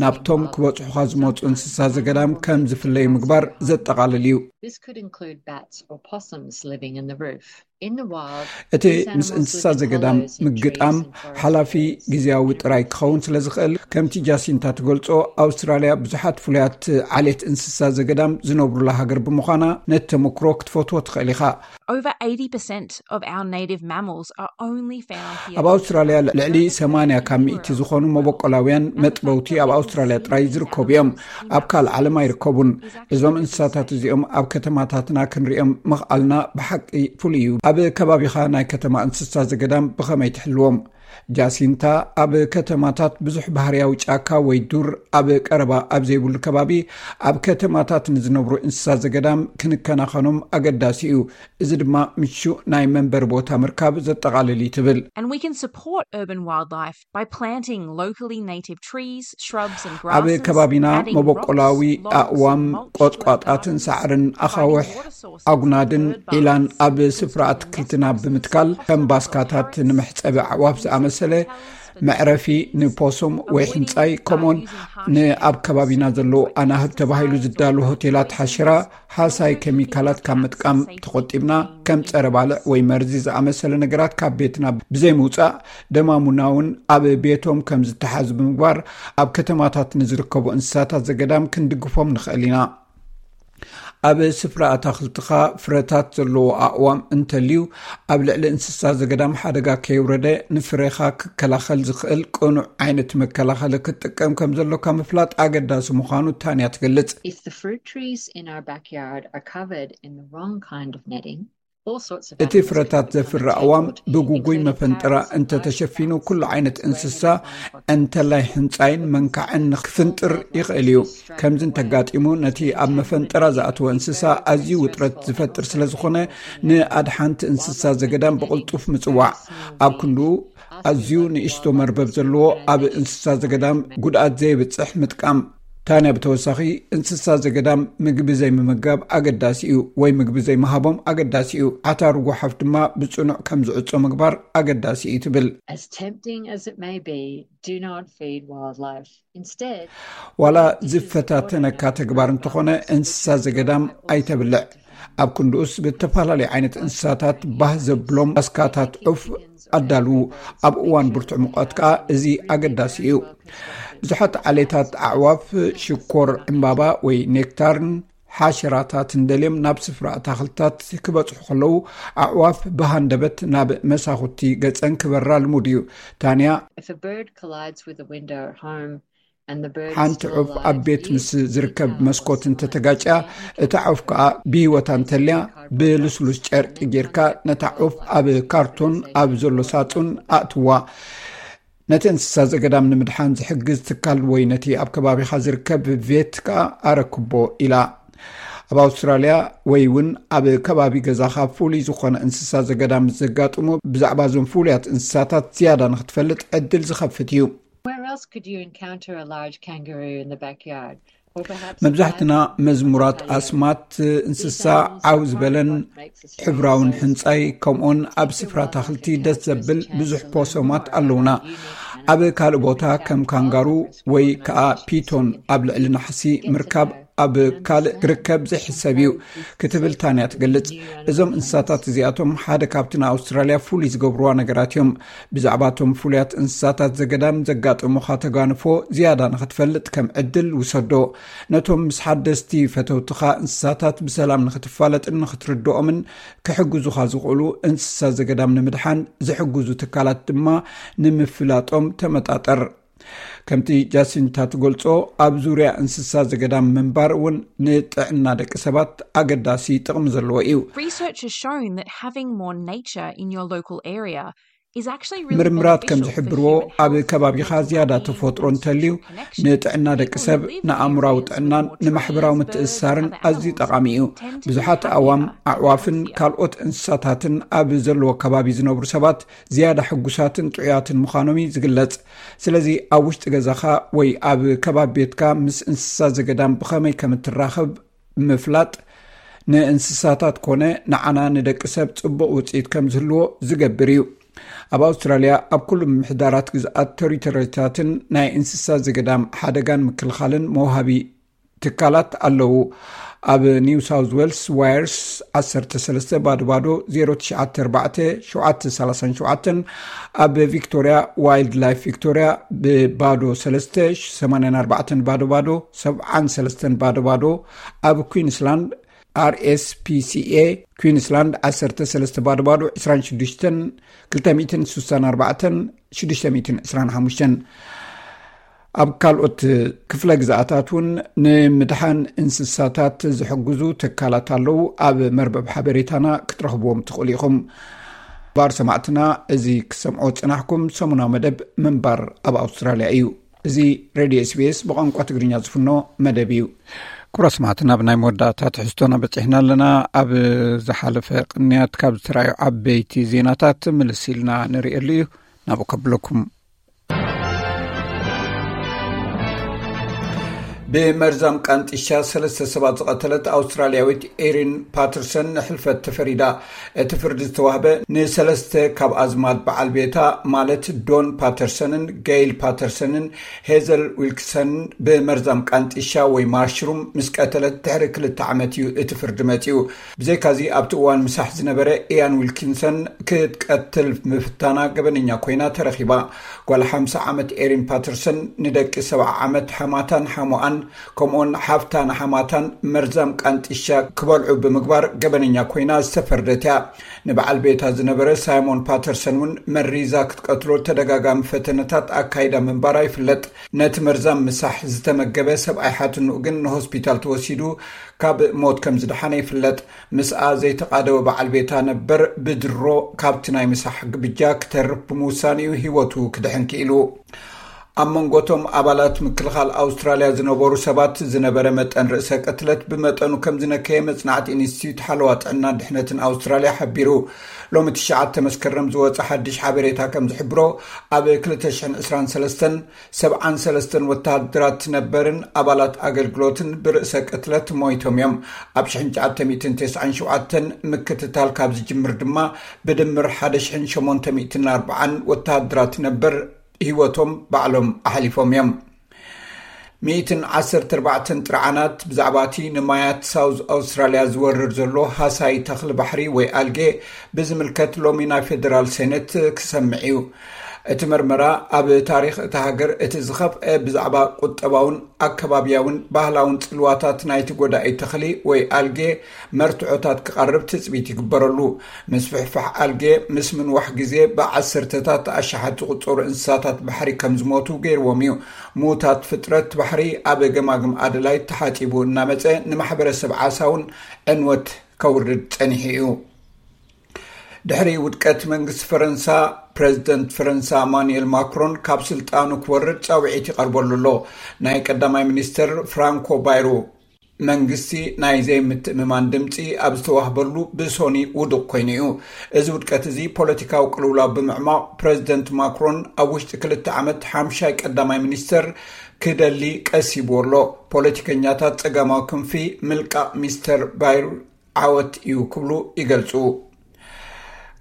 ናብቶም ክበጽሑኻ ዝመጹ እንስሳ ዘገዳም ከም ዝፍለዩ ምግባር ዘጠቓልል እዩ። This could include bats or possums living in the roof. In the wild, እቲ ምስ እንስሳ ዘገዳም ምግጣም ሓላፊ ግዝያዊ ጥራይ ክኸውን ስለ ዝኽእል፣ ከምቲ ጃሲንታ ትገልጾ፣ ኣውስትራልያ ብዙሓት ፍሉያት ዓሌት እንስሳ ዘገዳም ዝነብሩላ ሃገር ብምዃና ነቲ ተመክሮ ክትፈትዎ ትኽእል ኢኻ። Over eighty percent of our native mammals are only found here. ኣብ ኣውስትራልያ ልዕሊ ሰማንያ ካብ ሚእቲ ዝኾኑ መበቆላውያን መጥበውቲ ኣብ ኣውስትራልያ ጥራይ ዝርከቡ እዮም። ኣብ ካልእ ዓለም ኣይርከቡን። እዞም እንስሳታት እዚኦም ኣብ ከተማታትና ክንሪኦም ምኽኣልና ብሓቂ ፍሉይ እዩ። ኣብ ከባቢኻ ናይ ከተማ እንስሳ ዘገዳም ብኸመይ ትሕልዎም? ጃሲንታ፣ ኣብ ከተማታት ብዙሕ ባህርያዊ ጫካ ወይ ዱር ኣብ ቀረባ ኣብ ዘይብሉ ከባቢ፣ ኣብ ከተማታት ንዝነብሩ እንስሳ ዘገዳም ክንከናኸኖም ኣገዳሲ እዩ። እዚ ድማ ምቹእ ናይ መንበሪ ቦታ ምርካብ ዘጠቓልል እዩ ትብል። And we can support urban wildlife by planting locally native trees, shrubs and ኣብ grasses, ከባቢና adding መበቆላዊ rocks, logs, ኣእዋም፣ mulch to ቆጥቋጣትን encourage ሳዕርን፣ ኣኻውሕ፣ ኣጉናድን ዒላን ኣብ ስፍራ ኣትክልትና ብምትካል ከም ባስካታት ንመሕፀቢ ኣዕዋፍ ዝኣመሰለ መዕረፊ ንፖሶም ወይ ሕንፃይ፣ ከምኡውን ንኣብ ከባቢና ዘለዉ ኣናህብ ተባሂሉ ዝዳሉ ሆቴላት ሓሽራ ሓሳይ ኬሚካላት ካብ ምጥቃም ተቆጢብና፣ ከም ጸረ ባልዕ ወይ መርዚ ዝኣመሰለ ነገራት ካብ ቤትና ብዘይምውጻእ፣ ደማሙና እውን ኣብ ቤቶም ከም ዝተሓዙ ብምግባር፣ ኣብ ከተማታት ንዝርከቡ እንስሳታት ዘገዳም ክንድግፎም ንኽእል ኢና። ኣብ ስፍራ ኣታኽልትኻ ፍረታት ዘለዎ ኣእዋም እንተልዩ፣ ኣብ ልዕሊ እንስሳ ዘገዳም ሓደጋ ከየውረደ ንፍሬኻ ክከላኸል ዝኽእል ቅኑዕ ዓይነት መከላኸሊ ክትጥቀም ከም ዘሎካ ምፍላጥ ኣገዳሲ ምዃኑ ታንያ ትገልጽ። If the fruit trees in our backyard are covered in the wrong kind of netting, all sorts of እቲ ፍረታት ዘፍሪ ኣእዋም ብጉጉይ መፈንጠራ እንተተሸፊኑ፣ ኩሉ ዓይነት እንስሳ እንተላይ ሕንጻይን መንካዕን ክፍንጥር ይኽእል እዩ። ከምዚ እንተጋጢሙ፣ ነቲ ኣብ መፈንጠራ ዝኣተወ እንስሳ ኣዝዩ ውጥረት ዝፈጥር ስለ ዝኾነ፣ ንኣድሓንቲ እንስሳ ዘገዳም ብቕልጡፍ ምጽዋዕ። ኣብ ክንድኡ፣ ኣዝዩ ንእሽቶ መርበብ ዘለዎ ኣብ እንስሳ ዘገዳም ጉድኣት ዘየብጽሕ ምጥቃም። ታንያ ብተወሳኺ፣ እንስሳ ዘገዳም ምግቢ ዘይምምጋብ ኣገዳሲ እዩ፣ ወይ ምግቢ ዘይምሃቦም ኣገዳሲ እዩ። ዓታሩ ጓሓፍ ድማ ብጽኑዕ ከም ዝዕጾ ምግባር ኣገዳሲ እዩ ትብል። As tempting as it may be, do not feed wildlife. Instead, ዋላ ዝፈታተነካ ተግባር እንተኾነ፣ እንስሳ ዘገዳም ኣይተብልዕ። ኣብ ክንድኡስ፣ ብተፈላለዩ ዓይነት እንስሳታት ባህ ዘብሎም ኣስካታት ዑፍ ኣዳልዉ። ኣብ እዋን ብርቱዕ ሙቐት ከኣ እዚ ኣገዳሲ እዩ። ብዙሓት ዓሌታት ኣዕዋፍ ሽኮር ዕምባባ ወይ ኔክታርን ሓሸራታትን ደልዮም ናብ ስፍራ ኣታኽልታት ክበጽሑ ከለዉ፣ ኣዕዋፍ ብሃንደበት ናብ መሳኹቲ ገጸን ክበራ ልሙድ እዩ። ታንያ፣ if a bird collides with a window at home and the bird ሓንቲ still ዑፍ ኣብ alive, ቤት you ምስ ዝርከብ can መስኮት also እንተተጋጭያ፣ እታ ዑፍ ከኣ ብህይወታ እንተልያ፣ ብልስሉስ ጨርቂ ጌርካ ነታ ዑፍ ኣብ ካርቶን ኣብ ዘሎ ሳጹን ኣእትዋ። ነቲ እንስሳ ዘገዳም ንምድሓን ዝሕግዝ ትካል ወይ ነቲ ኣብ ከባቢኻ ዝርከብ ቬት ከኣ ኣረክቦ ኢላ። ኣብ ኣውስትራልያ ወይ እውን ኣብ ከባቢ ገዛኻ ፍሉይ ዝኾነ እንስሳ ዘገዳም ምስ ዘጋጥሞ፣ ብዛዕባ እዞም ፍሉያት እንስሳታት ዝያዳ ንኽትፈልጥ ዕድል ዝኸፍት እዩ። Where else could you encounter a large kangaroo in the backyard? Or perhaps a መብዛሕትና bison? መዝሙራት ኣስማት እንስሳ ዓው ዝበለን ሕብራውን ሕንጻይ፣ ከምኡውን ኣብ ስፍራ ኣታኽልቲ ደስ ዘብል ብዙሕ ፖሶማት ኣለውና። ኣብ ካልእ ቦታ ከም ካንጋሩ ወይ ከኣ ፒቶን ኣብ ልዕሊ ናሕሲ ምርካብ ኣብ ካልእ ክርከብ ዘይሕሰብ እዩ ክትብል ታንያ ትገልጽ። እዞም እንስሳታት እዚኣቶም ሓደ ካብቲ ንኣውስትራልያ ፍሉይ ዝገብርዋ ነገራት እዮም። ብዛዕባ እቶም ፍሉያት እንስሳታት ዘገዳም ዘጋጥሙኻ ተጓንፎ ዝያዳ ንኽትፈልጥ ከም ዕድል ውሰዶ። ነቶም ምስ ሓደስቲ ፈተውትኻ እንስሳታት ብሰላም ንኽትፋለጥን ንኽትርድኦምን ክሕግዙኻ ዝኽእሉ እንስሳ ዘገዳም ንምድሓን ዝሕግዙ ትካላት ድማ ንምፍላጦም ተመጣጠር። ከምቲ ጃሲንታ ትገልጾ፣ ኣብ ዙርያ እንስሳ ዘገዳም ምንባር እውን ንጥዕና ደቂ ሰባት ኣገዳሲ ጥቕሚ ዘለዎ እዩ። Research has shown that having more nature in your local area is actually really ምርምራት ከም beneficial for ዝሕብርዎ፣ human ኣብ health ከባቢኻ because ዝያዳ well-being ተፈጥሮ builds እንተልዩ፣ connection. ንጥዕና ደቂ ሰብ፣ ንኣእምራዊ ጥዕናን ንማሕበራዊ ምትእስሳርን ኣዝዩ ጠቓሚ እዩ። ብዙሓት ኣእዋም፣ ኣዕዋፍን ካልኦት እንስሳታትን ኣብ ዘለዎ ከባቢ ዝነብሩ ሰባት ዝያዳ ሕጉሳትን ጥዑያትን ምዃኖም እዩ ዝግለጽ። ስለዚ፣ ኣብ ውሽጢ ገዛኻ ወይ ኣብ ከባቢ ቤትካ ምስ እንስሳ ዘገዳም ብኸመይ ከም እትራኸብ ምፍላጥ፣ ንእንስሳታት ኮነ ንዓና ንደቂ ሰብ ጽቡቕ ውጽኢት ከም ዝህልዎ ዝገብር እዩ። ኣብ ኣውስትራልያ፣ ኣብ ኩሉ ምምሕዳራት ግዝኣት፣ ቴሪቶሪታትን ናይ እንስሳ ዘገዳም ሓደጋን ምክልኻልን መውሃቢ ትካላት ኣለዉ። ኣብ ኒው ሳውዝ ዌልስ፣ ዋየርስ ዓሰርተ ሰለስተ ባዶ ባዶ፣ ዜሮ ትሽዓተ ኣርባዕተ ሸውዓተ ሰላሳ ሸውዓተ፣ ኣብ ቪክቶርያ፣ ዋይልድ ላይፍ ቪክቶርያ፣ ብባዶ ሰለስተ፣ ሰማንያን ኣርባዕተን ባዶ ባዶ፣ ሰብዓን ሰለስተን ባዶ ባዶ፣ ኣብ ኩዊንስላንድ፣ ኣር ኤስ ፒ ሲ ኤ ኩዊንስላንድ፣ ዓሰርተ ሰለስተ ባዶ ባዶ፣ ዕስራን ሽዱሽተን፣ ክልተ ሚእትን ስሳን ኣርባዕተን፣ ሽዱሽተ ሚእትን ዕስራን ሓሙሽተን። ኣብ ካልኦት ክፍለ ግዝኣታት እውን ንምድሓን እንስሳታት ዝሕግዙ ትካላት ኣለዉ። ኣብ መርበብ ሓበሬታና ክትረኽብዎም ትኽእሉ ኢኹም። ባር ሰማዕትና፣ እዚ ክሰምዖ ጽናሕኩም ሰሙናዊ መደብ ምንባር ኣብ ኣውስትራልያ እዩ። እዚ ሬድዮ ኤስቢኤስ ብቋንቋ ትግርኛ ዝፍኖ መደብ እዩ። ክቡራት ሰማዕትና፣ ኣብ ናይ መወዳእታ ትሕዝቶና በጺሕና ኣለና። ኣብ ዝሓለፈ ቅንያት ካብ ዝተራእዩ ዓበይቲ ዜናታት ምልስ ኢልና ንርእየሉ እዩ። ናብኡ ከብለኩም። ብመርዛም ቃንጢሻ ሰለስተ ሰባት ዝቐተለት ኣውስትራልያዊት ኤሪን ፓተርሰን ንሕልፈት ተፈሪዳ። እቲ ፍርዲ ዝተዋህበ ንሰለስተ ካብ ኣዝማድ በዓል ቤታ፣ ማለት ዶን ፓተርሰንን ጌይል ፓተርሰንን ሄዘል ዊልክሰንን፣ ብመርዛም ቃንጢሻ ወይ ማሽሩም ምስ ቀተለት ድሕሪ ክልተ ዓመት እዩ እቲ ፍርዲ መጺኡ። ብዘይካዚ ኣብቲ እዋን ምሳሕ ዝነበረ ኢያን ዊልኪንሰን ክትቀትል ምፍታና ገበነኛ ኮይና ተረኺባ። ጓል ሓምሳ ዓመት ኤሪን ፓተርሰን ንደቂ ሰብዓ ዓመት ሓማታን ሓሞኣን ከምኡውን ሓፍታ ንሓማታን መርዛም ቃንጢሻ ክበልዑ ብምግባር ገበነኛ ኮይና ዝተፈርደት እያ። ንበዓል ቤታ ዝነበረ ሳይሞን ፓተርሰን እውን መሪዛ ክትቀትሎ ተደጋጋሚ ፈተነታት ኣካይዳ ምንባራ ይፍለጥ። ነቲ መርዛም ምሳሕ ዝተመገበ ሰብኣይ ሓትንኡ ግን ንሆስፒታል ተወሲዱ ካብ ሞት ከም ዝደሓነ ይፍለጥ። ምስኣ ዘይተቓደወ በዓል ቤታ ነበር ብድሮ ካብቲ ናይ ምሳሕ ግብጃ ክተርፍ ብምውሳን እዩ ህይወቱ ክድሕን ክኢሉ። ኣብ መንጎቶም ኣባላት ምክልኻል ኣውስትራልያ ዝነበሩ ሰባት ዝነበረ መጠን ርእሰ ቅትለት ብመጠኑ ከም ዝነከየ መጽናዕቲ ኢንስቲትዩት ሓለዋ ጥዕናን ድሕነትን ኣውስትራልያ ሓቢሩ። ሎሚ ትሽዓተ መስከረም ዝወጸ ሓድሽ ሓበሬታ ከም ዝሕብሮ፣ ኣብ ክልተ ሽሕን ዕስራን ሰለስተን ሰብዓን ሰለስተን ወተሃደራት ነበርን ኣባላት ኣገልግሎትን ብርእሰ ቅትለት ሞይቶም እዮም። ኣብ ሽሕን ትሽዓተ ሚእትን ተስዓን ሸውዓተን ምክትታል ካብ ዝጅምር ድማ ብድምር ሓደ ሽሕን ሸሞንተ ሚእትን ኣርባዓን ወተሃደራት ነበር ህይወቶም ባዕሎም ኣሕሊፎም እዮም። ሚእትን ዓሰርተ ኣርባዕተን ጥርዓናት ብዛዕባ እቲ ንማያት ሳውዝ ኣውስትራልያ ዝወርር ዘሎ ሃሳይ ተኽሊ ባሕሪ ወይ ኣልጌ ብዝምልከት ሎሚ ናይ ፌደራል ሴኔት ክሰምዕ እዩ። እቲ መርመራ ኣብ ታሪኽ እታ ሃገር እቲ ዝኸፍአ ብዛዕባ ቁጠባውን ኣከባብያውን ባህላውን ጽልዋታት ናይቲ ጎዳኢ ተኽሊ ወይ ኣልጌ መርትዖታት ክቐርብ ትጽቢት ይግበረሉ። ምስፍሕፋሕ ኣልጌ ምስ ምንዋሕ ግዜ ብዓሰርተታት ኣሽሓት ዝቑጸሩ እንስሳታት ባሕሪ ከም ዝሞቱ ገይርዎም እዩ። ምዉታት ፍጥረት ባሕሪ ኣብ ገማግም ኣደላይድ ተሓጺቡ እናመጸ ንማሕበረሰብ ዓሳ እውን ዕንወት ከውርድ ጸኒሑ እዩ። ድሕሪ ውድቀት መንግስቲ ፈረንሳ፣ ፕረዚደንት ፈረንሳ ማኑኤል ማክሮን ካብ ስልጣኑ ክወርድ ጻውዒት ይቐርበሉ ኣሎ። ናይ ቀዳማይ ሚኒስተር ፍራንኮ ባይሮ መንግስቲ ናይ ዘይምትእምማን ድምፂ ኣብ ዝተዋህበሉ ብሶኒ ውዱቕ ኮይኑ እዩ። እዚ ውድቀት እዚ ፖለቲካዊ ቅልውላው ብምዕማቕ፣ ፕረዚደንት ማክሮን ኣብ ውሽጢ ክልተ ዓመት ሓምሻይ ቀዳማይ ሚኒስተር ክደሊ ቀሲቡ ኣሎ። ፖለቲከኛታት ጸጋማዊ ክንፊ ምልቃቕ ሚስተር ባይር ዓወት እዩ ክብሉ ይገልጹ።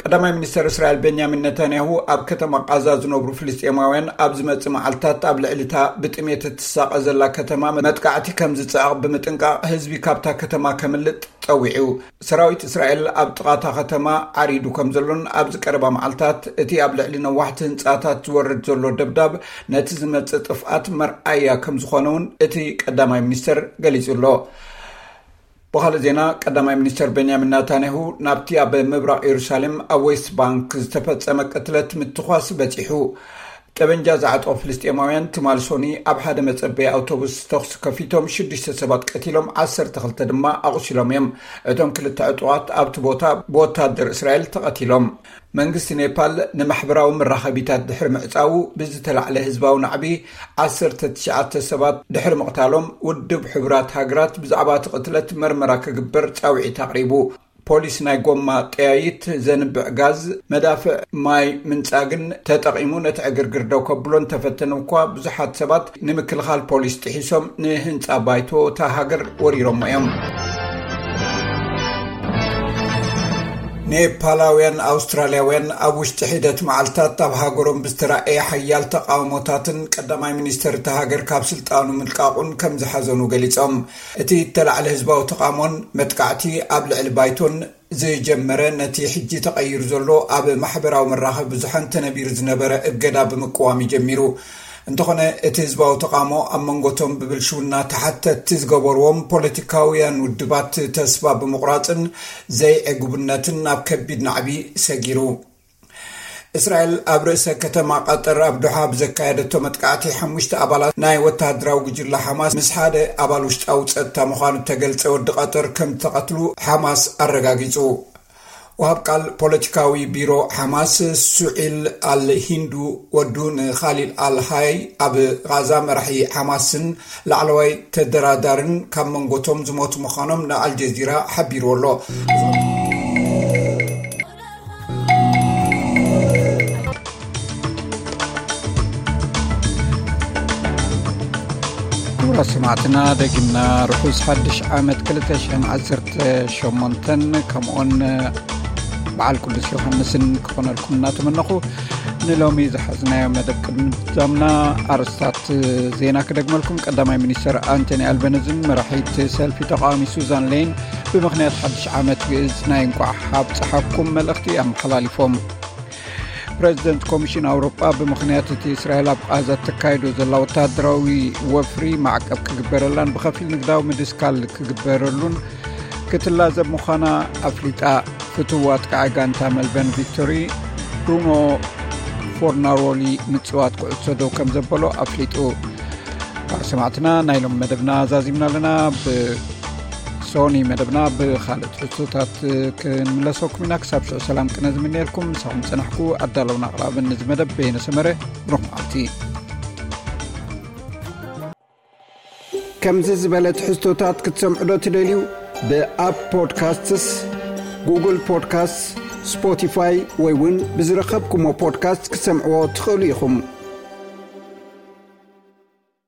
ቀዳማይ ሚኒስተር እስራኤል ቤንያሚን ነታንያሁ ኣብ ከተማ ቃዛ ዝነብሩ ፍልስጤማውያን ኣብ ዝመጽእ መዓልታት ኣብ ልዕሊ እታ ብጥሜት እትሳቐ ዘላ ከተማ መጥቃዕቲ ከም ዝጸዕቕ ብምጥንቃቕ፣ ህዝቢ ካብታ ከተማ ከምልጥ ጸዊዑ። ሰራዊት እስራኤል ኣብ ጥቓ እታ ከተማ ዓሪዱ ከም ዘሎን ኣብዚ ቀረባ መዓልታት እቲ ኣብ ልዕሊ ነዋሕቲ ህንጻታት ዝወርድ ዘሎ ደብዳብ ነቲ ዝመጽእ ጥፍኣት መርኣያ ከም ዝኾነ እውን እቲ ቀዳማይ ሚኒስተር ገሊጹ ኣሎ። ብኻልእ ዜና፣ ቀዳማይ ሚኒስተር ቤንያሚን ናታንያሁ ናብቲ ኣብ ምብራቕ የሩሳሌም ኣብ ዌስት ባንክ ዝተፈጸመ ቅትለት ምትኳስ በጺሑ። ጠበንጃ ዝዓጠቑ ፍልስጤማውያን ትማል ሶኒ ኣብ ሓደ መጸበዪ ኣውቶቡስ ተኹሲ ከፊቶም ሽዱሽተ ሰባት ቀቲሎም፣ ዓሰርተ ክልተ ድማ ኣቑሲሎም እዮም። እቶም ክልተ ዕጡቓት ኣብቲ ቦታ ብወታደር እስራኤል ተቐቲሎም። መንግስቲ ኔፓል ንማሕበራዊ መራኸቢታት ድሕሪ ምዕጻዉ ብዝተላዕለ ህዝባዊ ናዕቢ ዓሰርተ ትሽዓተ ሰባት ድሕሪ ምቕታሎም፣ ውድብ ሕቡራት ሃገራት ብዛዕባ እቲ ቅትለት መርመራ ክግበር ጻውዒት ኣቕሪቡ። ፖሊስ ናይ ጎማ ጠያይት፣ ዘንብዕ ጋዝ፣ መዳፍዕ ማይ ምንጻግን ተጠቒሙ ነቲ ዕግርግር ደው ከብሎ እንተፈተነ እኳ፣ ብዙሓት ሰባት ንምክልኻል ፖሊስ ጥሒሶም ንህንጻ ባይቶ እታ ሃገር ወሪሮሞ እዮም። ኔፓላውያን ኣውስትራልያውያን ኣብ ውሽጢ ሒደት መዓልታት ኣብ ሃገሮም ብዝተራእየ ሓያል ተቃውሞታትን ቀዳማይ ሚኒስተር እታ ሃገር ካብ ስልጣኑ ምልቃቑን ከም ዝሓዘኑ ገሊጾም። እቲ እተላዕለ ህዝባዊ ተቃውሞን መጥቃዕቲ ኣብ ልዕሊ ባይቶን ዝጀመረ፣ ነቲ ሕጂ ተቐይሩ ዘሎ ኣብ ማሕበራዊ መራኸቢ ብዙሓን ተነቢሩ ዝነበረ እገዳ ብምቅዋም እዩ ጀሚሩ። እንተኾነ፣ እቲ ህዝባዊ ተቃውሞ ኣብ መንጎቶም ብብልሽውና ተሓተትቲ ዝገበርዎም ፖለቲካውያን ውድባት ተስፋ ብምቑራጽን ዘይዕጉብነትን ናብ ከቢድ ናዕቢ ሰጊሩ። እስራኤል ኣብ ርእሰ ከተማ ቀጠር ኣብ ዶሓ ብዘካየደቶ መጥቃዕቲ ሓሙሽተ ኣባላት ናይ ወተሃደራዊ ጉጅለ ሓማስ ምስ ሓደ ኣባል ውሽጣዊ ጸጥታ ምዃኑ እተገልጸ ወዲ ቀጠር ከም ዝተቐትሉ ሓማስ ኣረጋጊጹ። ወሃብ ቃል ፖለቲካዊ ቢሮ ሓማስ ሱዒል ኣል ሂንዱ ወዱ ንኻሊል ኣል ሃይ፣ ኣብ ቓዛ መራሒ ሓማስን ላዕለዋይ ተደራዳርን ካብ መንጎቶም ዝሞቱ ምዃኖም ንኣልጀዚራ ሓቢሩ ኣሎ። ክቡራት ሰማዕትና፣ ደጊምና ርሑስ ሓድሽ ዓመት ክልተ ሽሕን ዓሰርተ ሸሞንተን፣ ከምኡውን በዓል ቅዱስ ዮሃንስን ክኾነልኩም እናተመነኹ፣ ንሎሚ ዝሓዝናዮ መደብ ቅድሚ ምዛምና፣ ኣርእስታት ዜና ክደግመልኩም። ቀዳማይ ሚኒስተር ኣንቶኒ ኣልበነዝን መራሒት ሰልፊ ተቃዋሚ ሱዛን ሌይን ብምኽንያት ሓድሽ ዓመት ግእዝ ናይ እንቋዕ ኣብጽሓኩም መልእኽቲ ኣመሓላሊፎም። ፕረዚደንት ኮሚሽን ኣውሮጳ ብምኽንያት እቲ እስራኤል ኣብ ቓዛ እተካይዶ ዘላ ወተሃደራዊ ወፍሪ ማዕቀብ ክግበረላን ብኸፊል ንግዳዊ ምድስካል ክግበረሉን ክትላዘብ ምዃና ኣፍሊጣ። ፍቱው ኣጥቃዒ ጋንታ መልበን ቪክቶሪ ብሩኖ ፎርናሮሊ ምጽዋት ኩዕሶ ደው ከም ዘበሎ ኣፍሊጡ። ሰማዕትና፣ ናይ ሎም መደብና ዛዚምና ኣለና። ብሶኒ መደብና ብኻልእ ትሕዝቶታት ክንምለሰኩም ኢና። ክሳብ ሽዑ ሰላም ቅነ ዝምነየልኩም። ምሳኹም ጸናሕኩ ኣዳለውን ኣቕራብን ንዚ መደብ በየነ ሰመረ። ብሩኽ መዓልቲ። ከምዚ ዝበለ ትሕዝቶታት ክትሰምዑ ዶ ትደልዩ? ብኣፕ ፖድካስትስ፣ ጉግል ፖድካስት፣ ስፖቲፋይ ወይ እውን ብዝረኸብኩሞ ፖድካስት ክትሰምዕዎ ትኽእሉ ኢኹም።